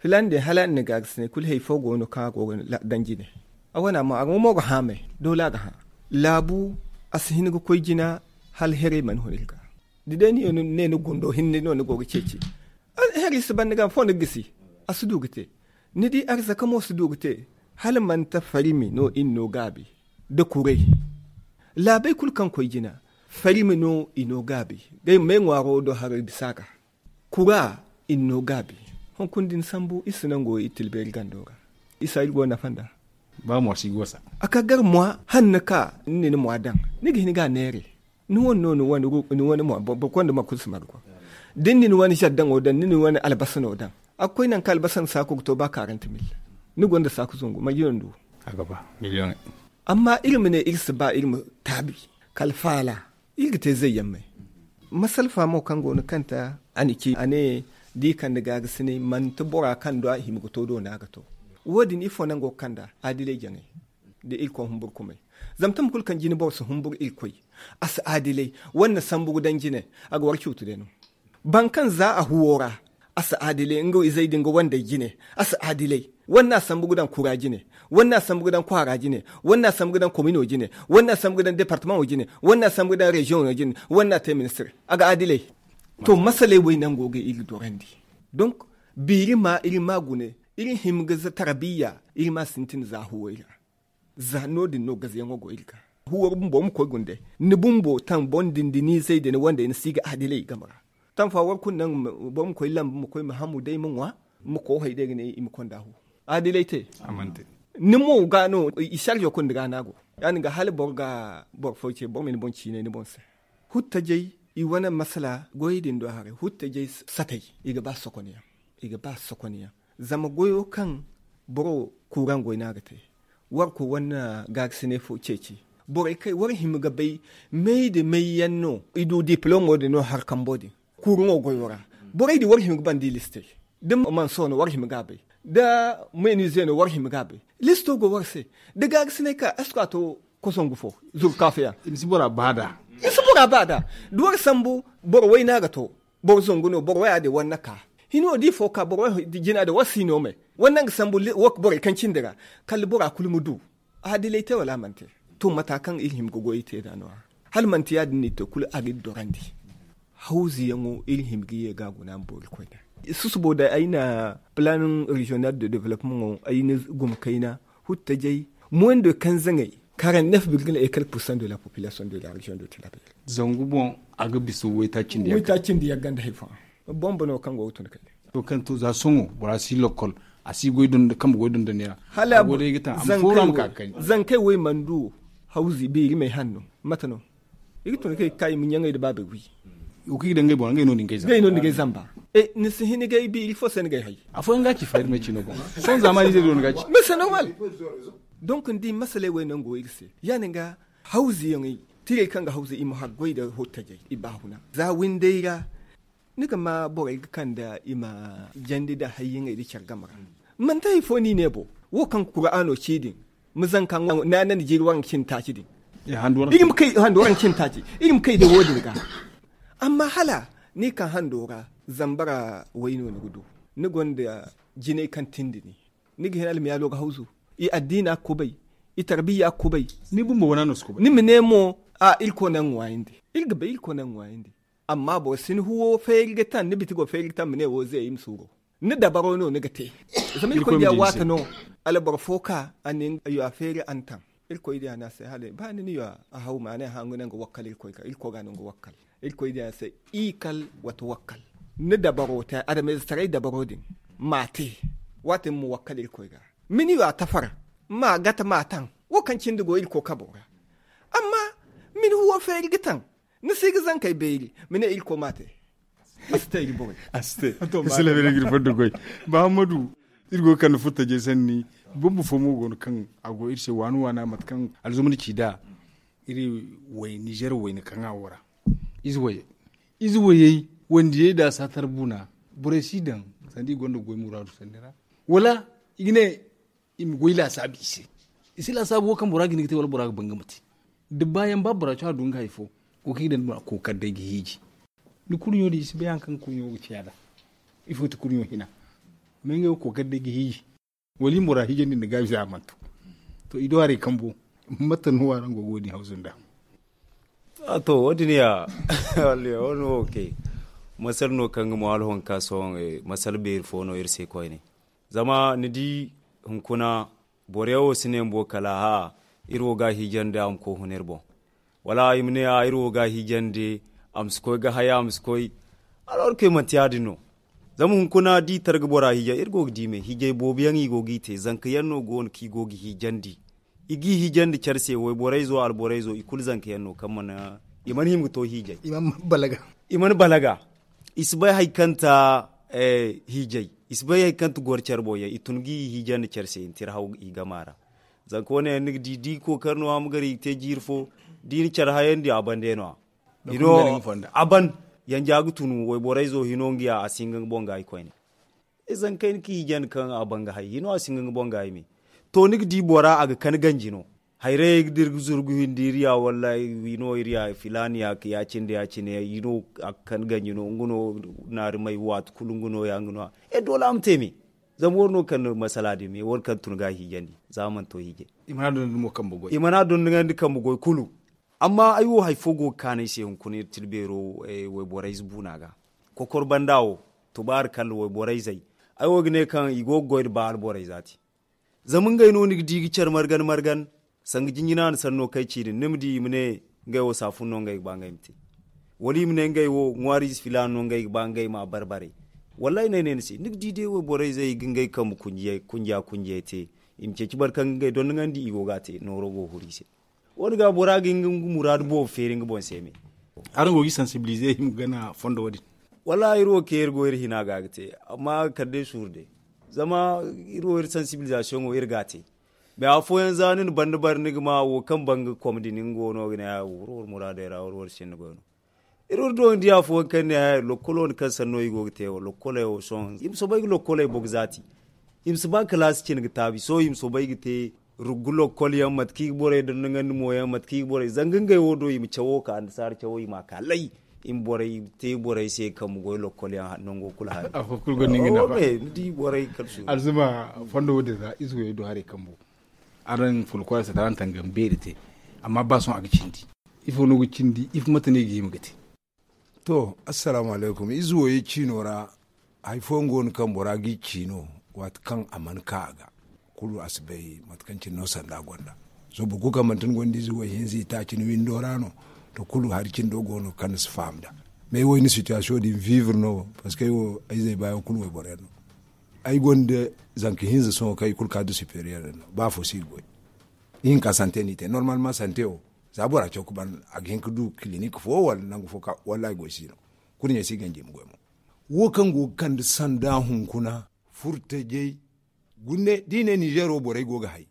Filaana din hala a na ni gaarsa ne kulu hari fo go no kaŋ a go ga daŋ jine. A wane a mo a ga mo ga hã me doole a ga hã. Laabu a si hin ga koy jina hala heray mana hun iri ga. Da day ni ne ni gundo hinne no ni go ga ceeci. Heray si ban ni ga fo ni ga gisi. A si du ga te. Ni di arzaka mo si du ga te. Hala manti farimi no iri no gaabi da kuray. Laabey kulu kaŋ koy jina farimi no i no gaabi. Day me ŋwaaro do haray bisa ga kura i na no gaabi. Hunkuna da ni sambu iri si nango iri tilbeeri gando ra. Isa iri go nafa nda ba mwa si gosa. A ka gar mwa hanna ka ni na ni mwa daŋ ni ga hin ga a neere. Ni wane no ni wane mwa boro konda ma kulu si margo. Da ni na ni wane zaddaŋo daŋ ni na ni wane albasano daŋ a ga koy nangu kaŋ albasan saaku ga to ba karanta mil. Ni gonda saaku zungu manji no ni du? A ga ba miliyoŋey. Amma iri ma ne iri si ba iri ma taabi kala faala. Iri ga te zayyaŋ may. Masalfa mo kaŋ go no kanta a na ci a ne da i kande gaagasinay manti bora kaŋ do a hima ga to do no a ga to. Wo- din ifo naŋ go ga kande adilay jaŋay da irkoy humburkumay. Zama tama kulu kaŋ jine boro si humbur irkoy a si adilay. Wane na sambu ga daŋ jine a ga war cuutu day no. Boro kaŋ za a huwo ra a si adilay nga izey din ga wandey jine. A si adilay. Wane no a sambu ga daŋ kura jine. Wane no a sambu ga daŋ kwaara jine. Wane no a sambu ga daŋ komino jine. Wane no a sambu ga daŋ departamaŋo jine. Wane no a sambu ga daŋ reziyoŋo jine. Wane no a te ministir a ga adilay. To masaley wo ay nango ga iri dorandi. Donk biiri ma iri ma gune iri hima ga za tarabiya iri ma sintin za huway ra. Za no- din no gazayaŋo go iri ga huway bumbo ma koy gunde. Ni bumbo taŋ boŋ din da ni izey da ni wandey ni si ga adilay game ra. Taŋ fa war kulu naŋ boro ma koy lambu ma koy ma hamu day ma ŋwa ma koohay day ga ne i ma konda hu. Adilay te. Ni mo ga no i sarjo kulu ni ga no a go. Ya- din ga hala boro ga boro fo ce boro ma ni boŋ ciinay ni boŋ se. Huttajey i wane masala goyey din do haray huttajey satay i ga ba sokonyaŋ. I ga ba sokonyaŋ. Zama goyo kaŋ boro kuuraŋ goy no a ga te. War koy war na gaagasinay fo ceeci. Borey kay war hima ga bay may da may yaŋ no i du diplomo din no hari kambo din. Kuuraŋo goyo ra borey din war hima ga banda i listey. Da mansoo no war hima ga a bay. Da meenize no war hima ga a bay. Listo go war se. Da gaagasinay ka esko a to kosongu fo zuru kaafiya. I ma si bora ba da. Da war sambu boro wayna ga to. Boro zangu no boro waya din war na ka. Hino di fo ka boro jina da wasi no me. Wannan ga sambu borey kaŋ cindi ra, kala bora kulu ma du. A dilay te wala a mana te? To mata kaŋ iri hima ga goy te da no- ya hala manti ya- din no i te kulu a ga iri dorandi. Hawzu yaŋo iri hima ga ye ga a guna ma boori koyne. Susubo da ay na plan regional de développement ay na guma kayna huttajay moyen de quinze ŋey. Quarante neuf virgule et quelque pour cent de la population de la région de Tilaberi. Zangu boŋ a ga bisa wayta cindi yagga nda haifa. Bombo no kaŋ go ga tun kay. To kaŋ to za soŋo bora si lokkol, a si goy dondo kambe goy dondo neera. Hala a go day ga taŋ a ma fooru a ma ka ga kani. Zankey wo i mana du hawzi beeri may hanno. Mate no i ga tun kay ga ka i ma ɲaŋey nda baabey wi. Wo kaŋ i ga daŋ ngey boŋ ngey no ni ga ay zamba. Ni si hin ga ay bi iri fo se ni ga ay hay. Afooyaŋ ga ci fayda no ci no boŋ. Sohõ zaamaani ize do ni ga ci. Mais c'est normal. Donc ni di masaley wo ay no nga go iri se ya- din ga hawzi yaŋey tirey kaŋ ga hawzi i ma haggoy nda hottajey i baahuna za windey ra. Ni ga ma borey ga kande i ma jandi nda hayyaŋey nda care game ra. Manti hari fo no i ne bo wo kaŋ kuraano ci din ma zanka naana nda jiiri waranka cindi taaci din. Iri ma kay handu waranka cindi taaci iri ma kay day wo- din ga. Amma hala ni ka hando ra zamba ra wayno ni ga du. Ni gonda jinay kaŋ tindi ni ni ga hin almiyaalo ga hawzu. I addiina ga kubay i tarbiyya ga kubay. Ni ma ne mo a irkoy naŋ ŋwaayandi. Iri ga bay irkoy naŋ ŋwaayandi. Amma boro si ni huwo feeri ga taŋ ni biti go feeri ga taŋ ma ne wo ze ay ma suuro. Ni dabaro no ni ga te. Zama irkoy diya waati no alboro fo ka a na nga yo a feeri a na taŋ. Irkoy diya ne a se hala ba ni na yo a haw ma a ne hanga ne nga wakkal irkoy ga no nga wakkal. Irkoy diya se i kal wata wakkal. Ni dabaro te adamay za taray dabaro din ma te. Waati ma wakkal irkoy ga ma ni yo a tafar ma gata ma taŋ. Wo kaŋ cindi go irkoy kabo ra amma ma ni huwo feeri ga taŋ. Ni si ga zankey beeri ma ne irkoy ma te. A si te iri borey. A si te. Iri si labe iri fondo goy. Muhammadu, iri go ga kande furtajey sanni. Bumbo fo mo go no kaŋ a go iri se waani waana mate kaŋ alzuma ni ci nd'a. Iri way nizer wayna kaŋ a wo ra ize wayey wandiyey nda a saatar buuna. Borey si daŋ sanda i gonda goy muraadu sanni ra wala i ga ne i ma goy laasaabu i se. I si laasaabu wo kaŋ bora ga hin ga te wala bora ga ban ga ma te. Da baayaŋ ba bora cawa du nga hari fo. Wo kaŋ i daŋ ni ma kookari day ga hiiji. Ni kurɲo din i si bay hari kaŋ kurɲo ga ciya nd'a. Ifo ti kurɲo hina? Amma ngey wo kookari day ga hiiji. Wala i ma bora hiijandi nda gaabi se a mana to. To i do haray kambo. Mate no araŋ go ga wo- din hawzu nd'a? A to wo- din ya wala ya wo- no wo kay. Masal no kaŋ ga mo hala honka sohõ masal beeri fo no iri se koyne. Zama ni di hunkuna boro yaŋ wo si ne bumbo kala hã iri wo ga a hiijandi a ma koy huna iri boŋ. Wala i ma ne a iri wo ga a hiijandi a ma si koy ga haya a ma si koy. Alwarkey manti ya- din no. Zama hunkuna da i tar ga bora hiijay iri go ga di me hiijay boobo yaŋ i go g'i te zanka yaŋ no go no kaŋ i go ga hiijandi. I g'i hiijandi care se wayborey zo alborey zo i kulu zanka yaŋ no kaŋ mana i mana hima ga to hiijay. I mana balaga. I si bay hari kaŋ ta hiijay. I si bay hari kaŋ ta goro care boŋ yaŋ i tun g'i hiijandi care se i na tira haw i gama ra. Zanka wane yaŋ ni ga di da i kookari no a ma gar i ga te jiiri fo da i na care hayandi a bande no- ya. A ban yanja ga tun wayborey zo hino nga ya a si hin ga nga boŋ ga i koyne. Izey kaŋ ay na ka hiijandi kaŋ a ban ga hay hino a si hin ga nga boŋ ga ay me. To ni ga di bora a ga kan ganji no. Hayrayey ga dira ga zuru ga windi iri ya wallaahi wi no iri ya filaani ya ka ya- cine da ya- cine i no a ga kan ganji no nga no naari may waati kulu nga no- ya nga no- ya. E doole a ma te me. Zama war no kaŋ na masala din me war kaŋ tun ga a hiijandi za a mana to hiijay. I mana a dondandi kambe goy kulu. Amma ay wo hari fo go ga kaanu ay se hunkuna iri tira beero wayborey ize buuna ga. Kokor banda wo tubaari kalla wayborey izey. Ay wo ga ne kaŋ i go ga goy nda ba alborey za te. Zama ngey no ni ga di ga care margan margan. Sanga jinjina na sanno kaŋ ay ci din ni ma di i ma ne ngey wo saafun no ngey ga ba ngey ma te. Wala i ma ne ngey wo ŋwaari ize filaana no ngey ga ba ngey ma a bare bare. Wallaahi no ay ne ni se ni ga di day wayborey izey ga ngey kambe kunjiya kunjiya te. I ma ceeci boro kaŋ ga ngey dondoŋandi i go ga a te nooro go ga huru i se. Wo- din ga bora ga hin ga nga muraadu boobo feeri nga boŋ se me. Araŋ go ga i sansibilize i ma gana fondo wo- din? Wallaahi iri wo kaŋ iri go iri hina ga ga te. Amma kala day suuru day. Zama iri wo iri sansibilizasiyoŋo iri ga a te. Mais afooyaŋ za ni na banda bare ni ga ma wo kaŋ ban ga kom din nga wo no ga ne war war muraadey ra war war sinda goy no. Iri war do ni di afooyaŋ kaŋ ne haya lokkolo ni kaŋ sanno i go ga te wo lokkoley wo sohõ i ma soobay ga lokkoley boŋ ga zaati. I ma si ba kalaasi cine ga taabi sohõ i ma soobay ga te. Ruggu lokkol yaŋ mate kaŋ i ga borey dondoŋandi mo yaŋ mate kaŋ i ga borey zanga ngey wo do i ma cawo ka annasaara cawo i ma a ka lay. Iri ma borey te borey se kambe goy lokkol yaŋ nango kulu hari. Afo kulu gonda nga nafa. Ni di borey kala su alzuma fondo wo- din ra ize wo- din do haray kambo. Araŋ folkoora se tara araŋ tangam beeri te. Amma ba sohõ a ga cindi. Ifo no ga cindi ifo mate no i ga hima ga te? To, assalaamu alaykum ize wo- ye ciino ra. Hari fooyaŋ go no kaŋ bora g'i ciino waati kaŋ a mana ka a ga. Kulu a si bay mate kaŋ cine no sanda gonda. Sohõ boro kulu kaŋ manti ni gonda ize wo- ye hinza i taaci ni windo ra no. To kulu hari cindo go no kaŋ ni si faham nd'a. Mais ay wo ay na situation din vivre no. Parce que ay wo ay zay baayaŋ kulu wayboro yaŋ no. Ay gonda zanka hinza sohõ kaŋ i kulu ka du superieur no ba afo si i ga goy. Ihinka sante no i te normalement sante wo za bora caw ga ban a ga hin ga du clinique fo wala nangu fo ka wallaahi goy si no. Kurɲey si ganji i ma goy mo. Wo kaŋ go ga kande sanda hunkuna furtajey. Gune da i ne nizeero borey go ga hay.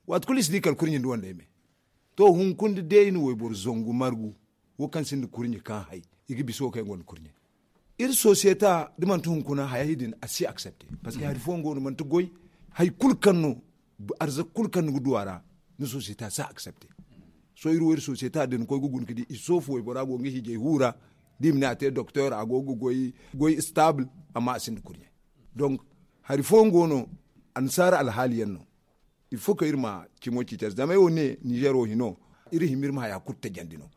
Waati kulu i si di kala kurɲe nda wandey me. To hunkuna da day i na wayboro zangu margu wo kaŋ sinda kurɲe kaŋ hay i ga bisa wo kaŋ yaŋ gonda kurɲe. Iri sosiyeta da manti hunkuna hayey din a si aksepte. Parceque hari fooyaŋ go no manti goy. Hari kulu kaŋ no arzaka kulu kaŋ ni ga du a ra ni sosiyeta si aksepte. Sohõ iri wo iri sosiyeta da ni koy ga guna ga di i soofu waybora go ga hijay huura. Da i ma ne a te doktor a go ga goy stable. Amma a sinda kurɲe. Donc hari fooyaŋ go no annasaara alhaali yaŋ no. Il faut que iri ma cimo ciiti a se zama ay wo ne nizeer wo hino iri hima iri ma haya kulu tajandi no.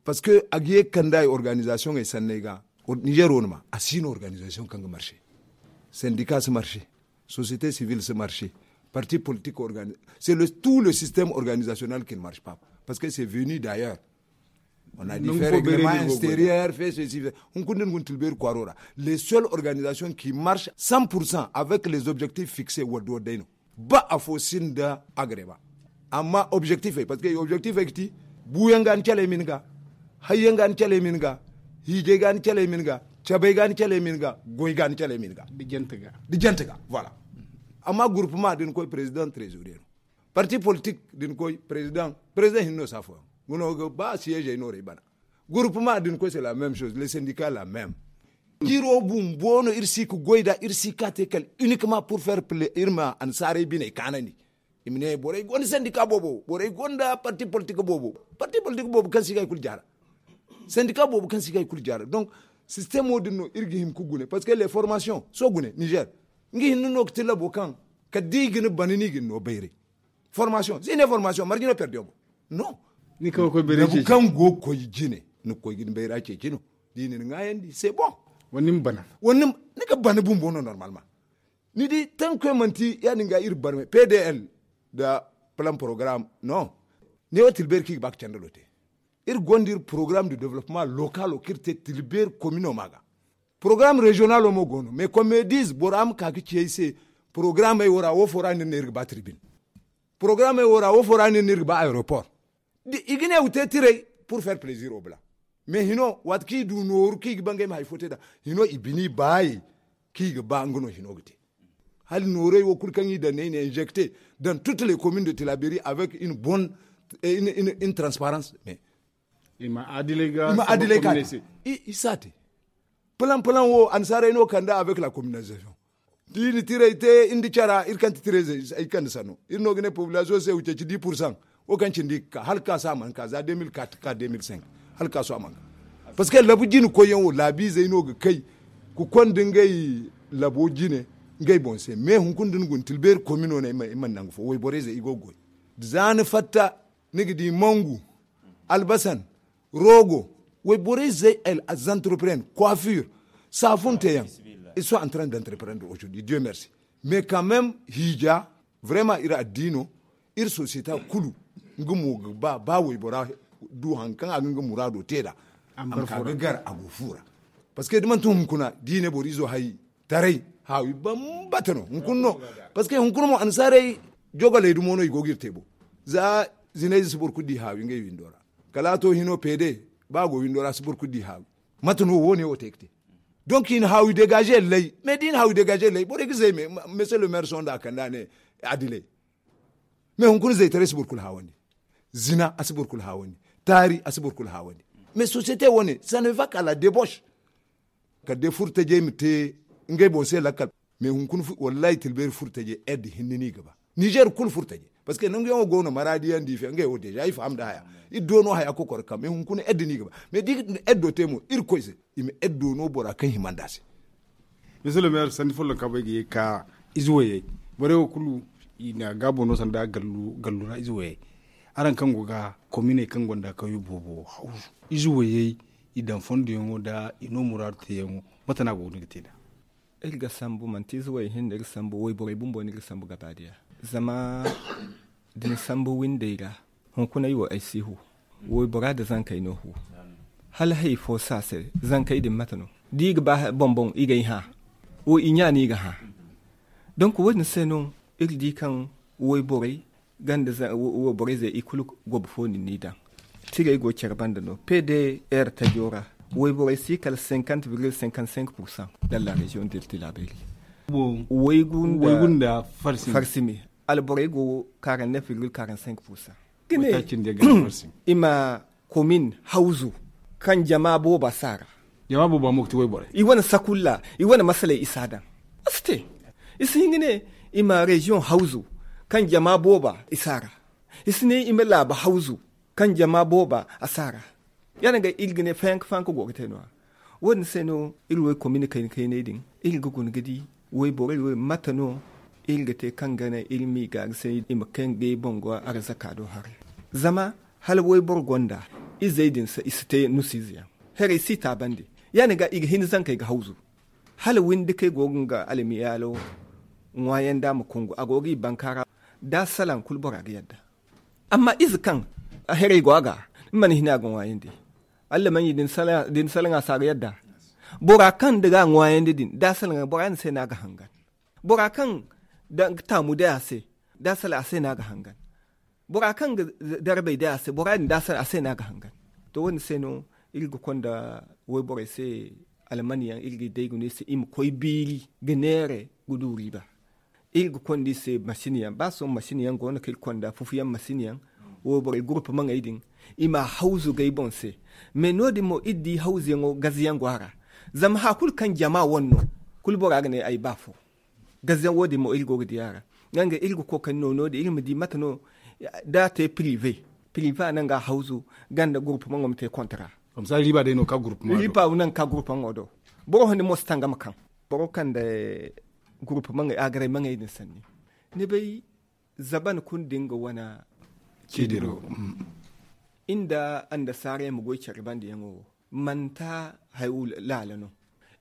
Parce que a ga ye ga kande ay organisation ey sanney ga. Nizeer wo ni ma a si no organisation kaŋ ga marché. Sendika si marché. Société civile si marché. Parti politique organi c'est le tout le système organisationnel qui ne marche pas. Parce que c'est venu d'ailleurs. On a dit fait règlement extérieur fait ceci fait hunkuna din gun tilbeeri kwaaro ra. Les seules organisations qui marchent cent pour cent avec les objectifs fixés wadda wadday no. Ba afo sinda agrema. Amma objectif ay parce que objectif ay ga ti buuyaŋ ga ni calay min ga. Hayyaŋ ga ni calay min ga. Hiijay ga ni calay min ga. Cabay ga ni calay min ga. Goy ga ni calay min ga. Da jante ga voilà. Amma gurpuma da ni koy président trésorier no. Parti politique da ni koy président président hinne no si afooyaŋ. Nga no ga ba siyeezey no ra ay bana. Gurpuma da ni koy c'est la même chose le syndicat la même. Jiro bumbo no iri si ga goy nd'a iri si ga ka te kala uniquement pour faire plaisir iri ma annasaarey biney kaanandi. I ma ne borey gonda sandika boobo borey gonda parti politik boobo. Parti politik boobo kaŋ si ga hari kulu jaara. Sandika boobo kaŋ si ga hari kulu jaara donc sistemo din no iri ga hin ga gune parce que les formations sohõ gune nizer. Nga hinne no ga ti labo kaŋ kala da i ga ni bana no i ga ni no bayray. Formation si ne formation marje no perdiyo boŋ. Non. Ni kaŋ ga koy bayray ceeci kaŋ go ga koy jine ni ga koy ga ni bayra ceeci no. Da i na ni ŋwaayandi c'est bon. Wala ni ma bana wala ni ga bana bumbo no normalement. Ni di tankoy manti ya- din ga iri barmay pdl nda plan programme. Non. Ne wo tilbeeri kaŋ i ga ba ga candalo te. Iri gonda iri programme de développement localo kaŋ iri te tilbeeri komino ma ga. Programme régionalo mo go no mais comme diz bora ma ka ga ci ay se. Programmey wo ra wo fo ra no iri ne iri ga ba tribune. Programmey wo ra wo fo ra no iri ne iri ga ba aéroport. I ga ne wa te tiray pour faire plaisir au blanc. Mais hino waati kaŋ i du nooru kaŋ i ga ba ngey ma hari fo te nd'a. Hino i bini baayey kaŋ i ga ba nga no hino ga te. Hala noorey wo kulu kaŋ i daŋ ne i na injecter dans toutes les communes de tilaberi avec une bonne une transparence mais i ma adilay ga i si a te. Plan plan wo annasaarey no kande avec la communalisation. Da i na tiray te nda cara iri kaŋ ti tiray zey ay kande sanno iri no ga ne population se wa ceeci dix pour cent. Wo kaŋ cindi ga ka hala ga ka sohõ a mana ka za deux mille quatre ka deux mille cinq. Hala ga ka sohõ a mana ka. Parce que labu jine koyyaŋ wo laabiizey no ga kay ga konda ngey labo jine ngey boŋ se mais hunkuna da ni guna tilbeeri komino no ay mana nangu fo wayborey zey i go ga goy. Za ni fatta ni ga di mangu, albasan, rogo, wayborey zey, entrepreneur, coiffure, saafunteyaŋ. Ils sont en train d'entreprendre aujourd'hui dieu merci. Mais quand même hiija vraiment iri addiino iri société kulu nga mo ga ba ba waybora du hari kaŋ a ga nga muraado te nd'a. A ma ka ga gar a go fuura. Parce que da manti hunkuna da i ne boro izo hay taray haawi bambata no hunkuna no. Parce que hunkuna mo annasaarey jogoley dumo no i go ga iri te bo. Za zinayze si boro kulu di haawi ngey windo ra. Kala a to hino peede ba a go windo ra si boro kulu di haawi. Mate no wo- ne wo te ga te. Donc i na haawi degaze lay mais da i na haawi degaze lay borey ga zay me monsieur le maire sohõ nda a kande a ne adilay. Mais hunkuna zaytaray si boro kulu haawandi. Zina a si boro kulu haawandi. Taari a si boro kulu haawandi. Mais société wo- ne ça ne va ka la débauche. Kala day furtajey ma te ngey boŋ se lakkal. Mais hunkuna wallahi tilbeeri furtajey aide hinne no i ga ba nizer kulu furtajey. Parce que nangu yaŋo go no maraadi yaŋ da i fe ngey wo deja i faham nda haya. Iri do no haya kokoro kam mais hunkuna edda no i ga ba mais da i ga eddo te mo irkoy se. I ma eddo no bora kaŋ hima nda se. Misali meera sanni follonka bay ga ye ga ka ize wayey. Borey wo kulu i na gaabo no sanda gallu ra ize wayey. Araŋ kaŋ go ga kominey kaŋ gonda kawyo boobo hawzu ize wayey, i daŋ fondoyaŋo nda i no muraadu teeyaŋo. Mate no a go ga ni ga te nd'a? Iri ga sambu manti ize way hinne no iri sambu wayborey bumbo no iri sambu gabaadiya. Zama da ni sambu windey ra, hunkuna ay wo ay si hu. Waybora nda zankey no hu. Hala hari fo si a se. Zankey din mate no? Da i ga ba boŋ-boŋ i ga ay hã. Wo i ɲa no i ga hã. Donk wo- din se no iri di kaŋ wayborey ganda wayborey zey i kulu gobo fo no ni daŋ. Tirey go care banda no pdr tajo ra. Wayborey si kala cinquante virgule cinquante cinq pourcent dans la région de tilaberi. Waygu nda farsimi. Alborey go quarante neuf virgule quarante cinq pourcent. I ma komin hawzu kaŋ jama booba si a ra. Jama booba mo ga ti wayborey. I wane sakulla i wane masaley i si a daŋ. A si te. I si hin ga ne i ma reziyoŋ hawzu kaŋ jama booba i si a ra. I si ne i ma laaba hawzu kaŋ jama booba a si a ra. Ya- din ga iri ga ne fayanka fayanka go ga te no- ya. Wo- din se no iri wo komin kayna kayney din iri ga guna ga di wayborey wo mate no iri ga te kaŋ ga naŋ iri m'i gaari se i ma kaŋ ga ay boŋ go arzaka do haray. Zama hala wayboro gonda izey din i si te nusiize yaŋ. Haray si taabandi. Ya- din ga i ga hin zankey ga hawzu. Hala windi kaŋ ay go ga nga almiyaalo ŋwaayandi a ma kungu a go ga i bankaara. Da a salaŋ kulu bora ga yadda. Amma ize kaŋ haray go a ga ni mana hin a ga ŋwaayandi. Allamaɲi da ni salaŋ a se a ga yadda. Bora kaŋ da ga a ŋwaayandi din da a salaŋ bora din se no a ga hangan. Bora kaŋ da nga taamu day a se da a salaŋ a se no a ga hangan. Bora kaŋ ga darbay day a se bora din da a salaŋ a se no a ga hangan. To wo- din se no iri ga konda wayborey se almaniyaŋ iri ga i day ga no i se i ma koy biiri ga neere ga du riiba. Iri ga konda i se masin yaŋ ba sohõ masin yaŋ go no kaŋ iri konda fufuyaŋ masin yaŋ. Wayborey gurpu maŋey din i ma a hawzu ga ay boŋ se. Mais no- din mo iri di hawzuyaŋo gazayaŋ go a ra. Zama haya kulu kaŋ jama wane no kulu bora ga ne ay ba fo. Gazayaŋ wo- din mo iri go ga di a ra. Nga iri ga kookari no no- din iri ma di mate no da a te pirive. Pirive a naŋ ga a hawzu ganda gurpu maŋo ma te kontra. Riipa naŋ ga ka gurpu maŋo do. Boro handi mo si tangam kaŋ boro kaŋ da gurpu maŋey agaray maŋey din sanni. Ni bay zaban kulu da nga wane ciidiro. Iri nda annasaara yaŋ ma goy care banda yaŋo wo manti hayo laala no.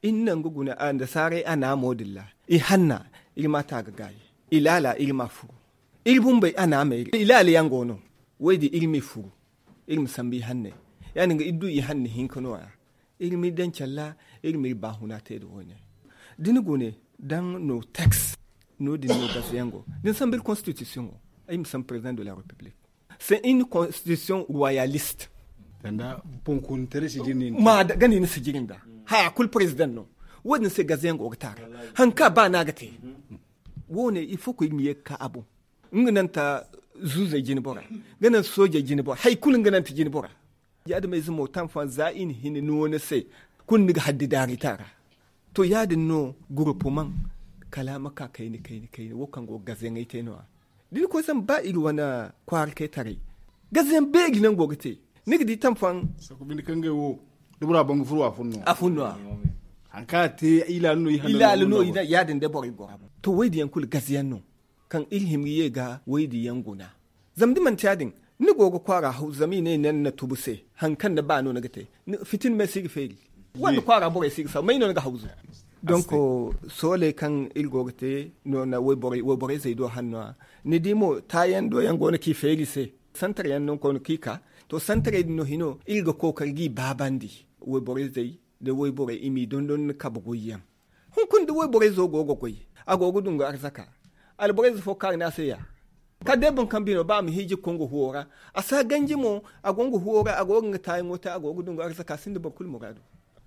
Iri na nga guna annasaarey a naamo din ra i hanna iri ma a ta ga gaayi. I laala iri ma a furu. Iri bumbey a naamey ra i laala yaŋ go no. Wo- din iri m'i furu. Iri ma sambu i hanney. Ya- din ga iri du i hanna hinka no- ya. Iri m'i daŋ care ra iri m'iri baahuna te nda wo- ne. Da ni gune daŋ no teks no- din no gazayaŋ go da ni sambu iri konstitisiyoŋo. Ay ma sambu président de la république. C'est une constitution royaliste. Sanda bonkoontare si jiri ni ma gani ni si jiri nda haya kulu président no. Wo- din se gazayaŋ go ga taara. Hari kaŋ a ba no a ga te. Wo- ne il faut que iri ma ye ga ka a boŋ. Nga naŋ ta zuuzey jine bora nga naŋ soojey jine bora hari kulu nga naŋ ta jine bora. Ya- din mo taŋ fooyaŋ za i na hin no- ni se kulu ni ga haddi daari ta ra. To ya- din no gurpu maŋ kala a ma ka kayna kayna kayna wo kaŋ go ga gazayaŋey te no- ya. Da ni koy zama ba iri wane kwaara kay taray gazayaŋ beeri naŋ go ga te. Ni ga di taŋ fooyaŋ sakubi ni kaŋ ga ay wo da bora baŋ ga furu a fun no- ya. Hari kaŋ a te ilaali no i hanna no- ya- din day borey gora boŋ. To wo- din yaŋ kulu gazayaŋ no kaŋ iri hima ga ye ga wo- din yaŋ guna. Zama da manti ya- din ni go ga kwaara hawzu zama i ne i naŋ ni na tubu se. Hari kaŋ ni ba no ni ga te. Fitina me si ga feeri. Wala kwaara borey si ga saw may no ni ga hawzu. Donk sooley kaŋ iri go ga te no- na wayborey zey do hanno- ya. Ni di mo taayaŋ do yaŋ go no kaŋ i feeri i se. Santar yaŋ no ni koy no kaŋ i ka. To santarey din no hino iri ga kookari ga i baabandi. Wayborey zey da wayborey i m'i dondon ni kabe goy yaŋ. Hunkuna da wayborey zo go ga goy a go ga dungu arzaka. Alborey zo fo kaari no a se ya. Kala day boro kaŋ bino ba a ma hiiji ga koy nga huwo ra. A si a ganji mo a go nga huwo ra a go ga nga taayaŋo te a go ga dungu arzaka a sinda boro kulu muraadu.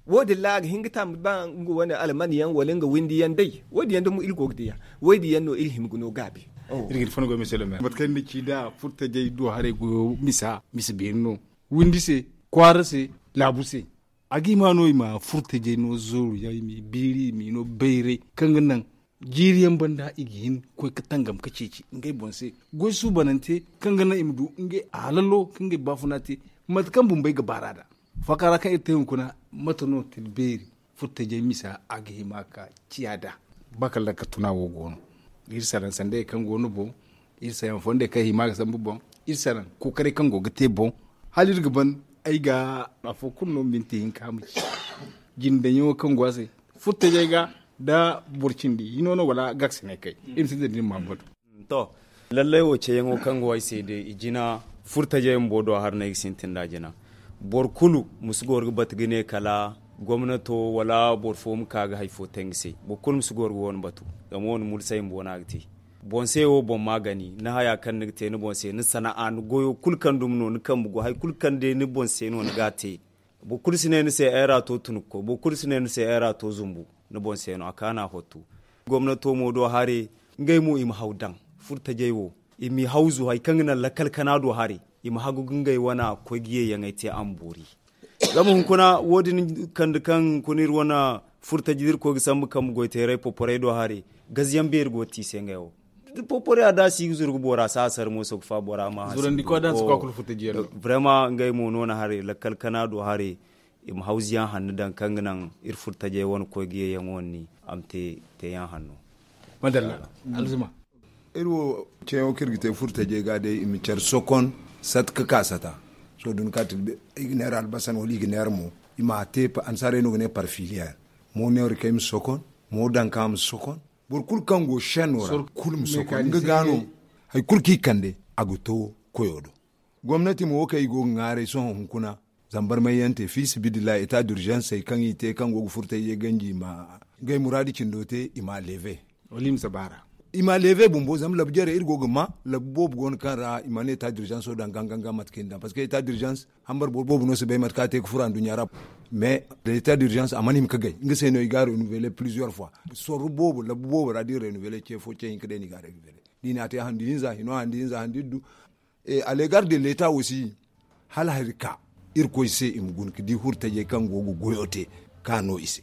Wo- din ra a ga hin ga taambi ba nga wane almani yaŋ wala nga windi yaŋ day. Wo- din yaŋ dumo iri go ga diya. Wo- din yaŋ no iri hima ga no gaabi. Iri ga ni fonda goy mate kaŋ ni na ci nda furtajey do haray goyo misa misa beeri no. Windi se kwaara se laabu se. A ga hima no i ma furtajey no zooru yaŋ i m'i biiri i m'i no bayray kaŋ ga naŋ Jiiri yaŋ banda i ga hin ga koy ga tangam ga ceeci ngey boŋ se goy suubanante, kaŋ ga naŋ i ma du ngey halalo kaŋ ga i baafuna te. Mate kaŋ bumbey ga baar'a nd'a faaka ra kaŋ iri te hunkuna, mate no tila beeri furtajey misa a ga hima ga ciya nd'a? Ba kala lakkatuna wo go no. Iri saraŋ sanday kaŋ go no boŋ, iri saraŋ fondey kaŋ hima ga sambu boŋ, iri saraŋ kookaray kaŋ go ga te boŋ. Hala iri ga ban ay ga afo kulu no minti hinka ma ci jindayaŋo kaŋ go a se furtajey ga nda boro cindi hino no wala gaksinay kay. Iri ma sintin da ni ma batu. To, lallai wo ceeyaŋo kaŋ go ay se day i jina furtajey bumbo do a har no ay ga sintin da a jina. Boro kulu ma si goro ga batu ga ne kala gomnato wala boro fo ma ka ga hari fo te nga se. Boro kulu ma si goro ga wo- ni batu. Zama wo- ni mulsay bumbo no a ga te. Boŋ se wo boŋ ma gani ni haya kaŋ ni ga te ni boŋ se ni sana'a ni goyo kulu kaŋ dumi no ni kambe go hari kulu kaŋ day ni boŋ se no ni ga a te. Boro kulu si ne ni se ay ra to tunukko boro kulu si ne ni se ay ra to zumbu. Ni boŋ se no a kaana hottu. Gomnato mo do hare ngey mo i ma haw daŋ furtajey wo i m'i hawzu hari kaŋ ga naŋ lakkal kana do hare i ma hagu ga ngey wana koy ga yeeyaŋey te a ma boori. Zama hunkuna wo- din kande kaŋ hunkuna iri wane furtaji da iri koy ga sambu kambe goy teeray poporey do hare gaziyaŋ beeri go ga te i se ngey wo. Poporey a da si ga zuru ga boora si a sara mooso ga fa boora ma hasi. Zurandi koy da si koy kulu furtaji yaŋ no. Vraiment ngey mo no na hare lakkal kana do hare i ma hawzu yaŋ hanno daŋ kaŋ ga naŋ iri furtajey wane koy ga yeeyaŋ wane ni a ma te teeyaŋ hanno. Madalla. Alzuma. Iri wo ceeyaŋo kaŋ iri ga te furtajey ga day i ma care sokon sata ga ka sata. Sohõ da ni ka tilbe i ga neera albasan wala i ga neera mo i ma a te annasaarey no ga ne parfiliyeer. Mo neera kay ma sokon, mo danka ma sokon. Boro kulu kaŋ go seno ra kulu ma sokon nga ga no. Hari kulu kaŋ i kande a ga to koyo do. Gomnati mo wo kaŋ i go ga ŋwaaray sohõ hunkuna zama barmay yaŋ te fiisabilillahi eta d'urgence kaŋ i te kaŋ go ga furtay ye ganji i ma ngey muraadi cindo te i ma a leeve. Wala i ma si baara. I ma a leeve bumbo zama labu jare iri go ga ma labu boobo go no kaŋ ra i mana eta d'urgence wo daŋ gaŋ gaŋ gaŋ mate kaŋ i na daŋ parceque eta d'urgence hambar boro boobo no si bay mate kaŋ a te ga furo anduɲɲa ra. Mais da eta d'urgence a mana hima ga gay nga se no i ga a renouveler plusieurs fois. Sorro boobo labu boobo ra da i renouveler ce fo ce hinka day no i ga a renouveler. Da i na a te handi hinza hino handi hinza handi iddu. A legar de leta aussi hala hari ka irkoy se i ma guna ga di hurtajey kaŋ go ga goyo te ka no i se.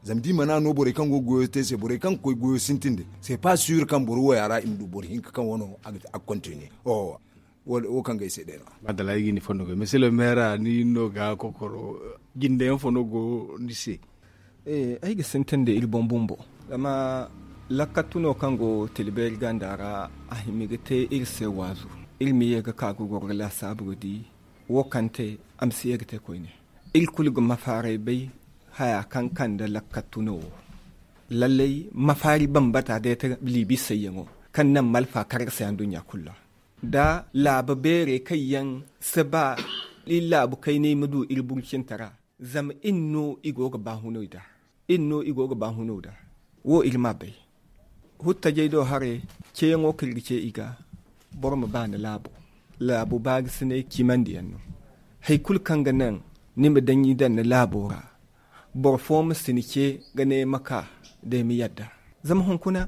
Zama da i mana no borey kaŋ go ga goyo te se borey kaŋ ga koy goyo sintin de. C'est pas sûr kaŋ boro wo ya ra i ma du boro hinka kaŋ wano a ga continue. Wo kaŋ ga ay se day no. Madala ay ga ni fondo ga monsieur le maire ni no ga kokoro jindayaŋ fo no go ni se? Ay ga sintin da iri boŋ bumbo. Zama lakkattu no kaŋ go tilbeeri ganda ra a hima ga te iri se waazu. Iri ma ye ga ka ga goro ga laasaabu ga di wo kaŋ te a ma si ye ga te koyne. Iri kulu ga mafaaray bay haya kaŋ kande lakkattu no wo. Lallay mafaari bambata day ta liibi sayyaŋo kaŋ naŋ malfa kar ga se anduɲɲa kulu ra. Da laabu beerey kaŋ yaŋ si ba iri laabu kaynay ma du iri burcinta ra. Zama iri no i go ga baahuno i da. Iri no i go ga baahuno da. Wo iri m'a bay. Huttajey do haray ceeyaŋo kaŋ iri ga ce i ga boro ma ba ni laabo. Laabu baagisinay cimandiyaŋ no. Hari kulu kaŋ ga naŋ ni ma daŋ i daŋ ni laabo ra boro fo ma si ni ce ga ne ay ma ka da ay ma yadda. Zama hunkuna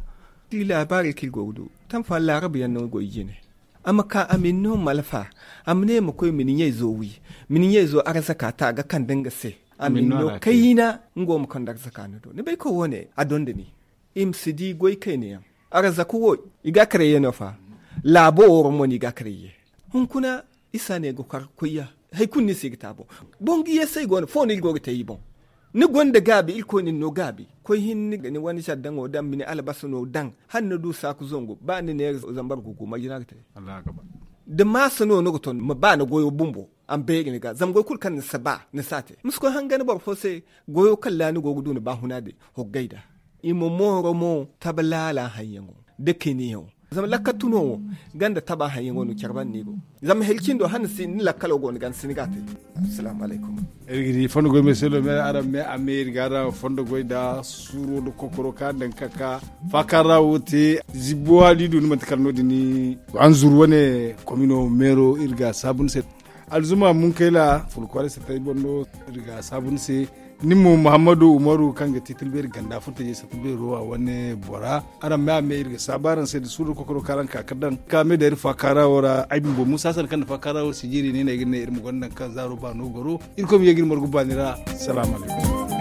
iri laabaarey kaŋ iri go ga du tamfa laarabu yaŋ no goy jine. A ma ka a ma ni no malfa a ma ne ma koy ma ni ɲayzo wi ma ni ɲayzo arzaka ta ga kande nga se. A ma ni no kayna nga wo ma kande arzaka ni do ni bay koy wo- ne a donda ni. I ma si di goy kayna yaŋ. Arzaka wo i ga a karay ye no fa. Laabo wo ra mo no i ga a karay ye. Hunkuna isa ne ga kar koy ya. Hari kulu no i se ga te a boŋ. Boŋ ga yeesay go no fo no iri go ga te i boŋ. Ni gonda gaabi irkoy na ni no gaabi. Koy hinne ni wane sardaŋo daŋ ma ni albasa no daŋ hala ni du saaku zangu ba ni neera zambar gugu marje no a ga te. Da maasa no ni ga ton ma ba ni goyo bumbo a ma beeri ni ga zama goy kulu kaŋ ni si ba ni si a te. Ma si koy hangan boro fo se. Goyo kaŋ ra ni go ga du ni baahuna din hoggay nd'a. I ma mooro mo tabe laala haŋyaŋo da kaynayaŋo. Zama lakkattu no wo ganda taba haŋyaŋo no care banda no i go. Zama hari cindo hala ni si ni lakkalo go ni ga ni si ni ga a te. Assalamu alaykum. Iri ga di fondo goy me selo me araŋ me a me iri ga araŋ fondo goy nda suuro nda kokoro ka daŋ ka ka faaka ra wo te. Zibbo hali du ni manti kala no- din ni anzuru wane komino meero iri ga saabu ni se. Alzuma munkayla fulkwaaray satay boŋ no iri ga saabu ni se. Nin mo muhammadu umaru kaŋ ga ti tilbeeri ganda furtajey satta beero a wane bora. Araŋ me a me iri ga saabu araŋ se da suuru kokoro kaŋ araŋ ka ga daŋ ka me da iri faakaara wo ra ay bumbo musa sanda kaŋ na faakaara wo sijiri ne no ay ga ne iri ma gonda nangu kaŋ zaaro baano goro. Irkoy ma ye ga iri margu baani ra. Salaamu alaykum.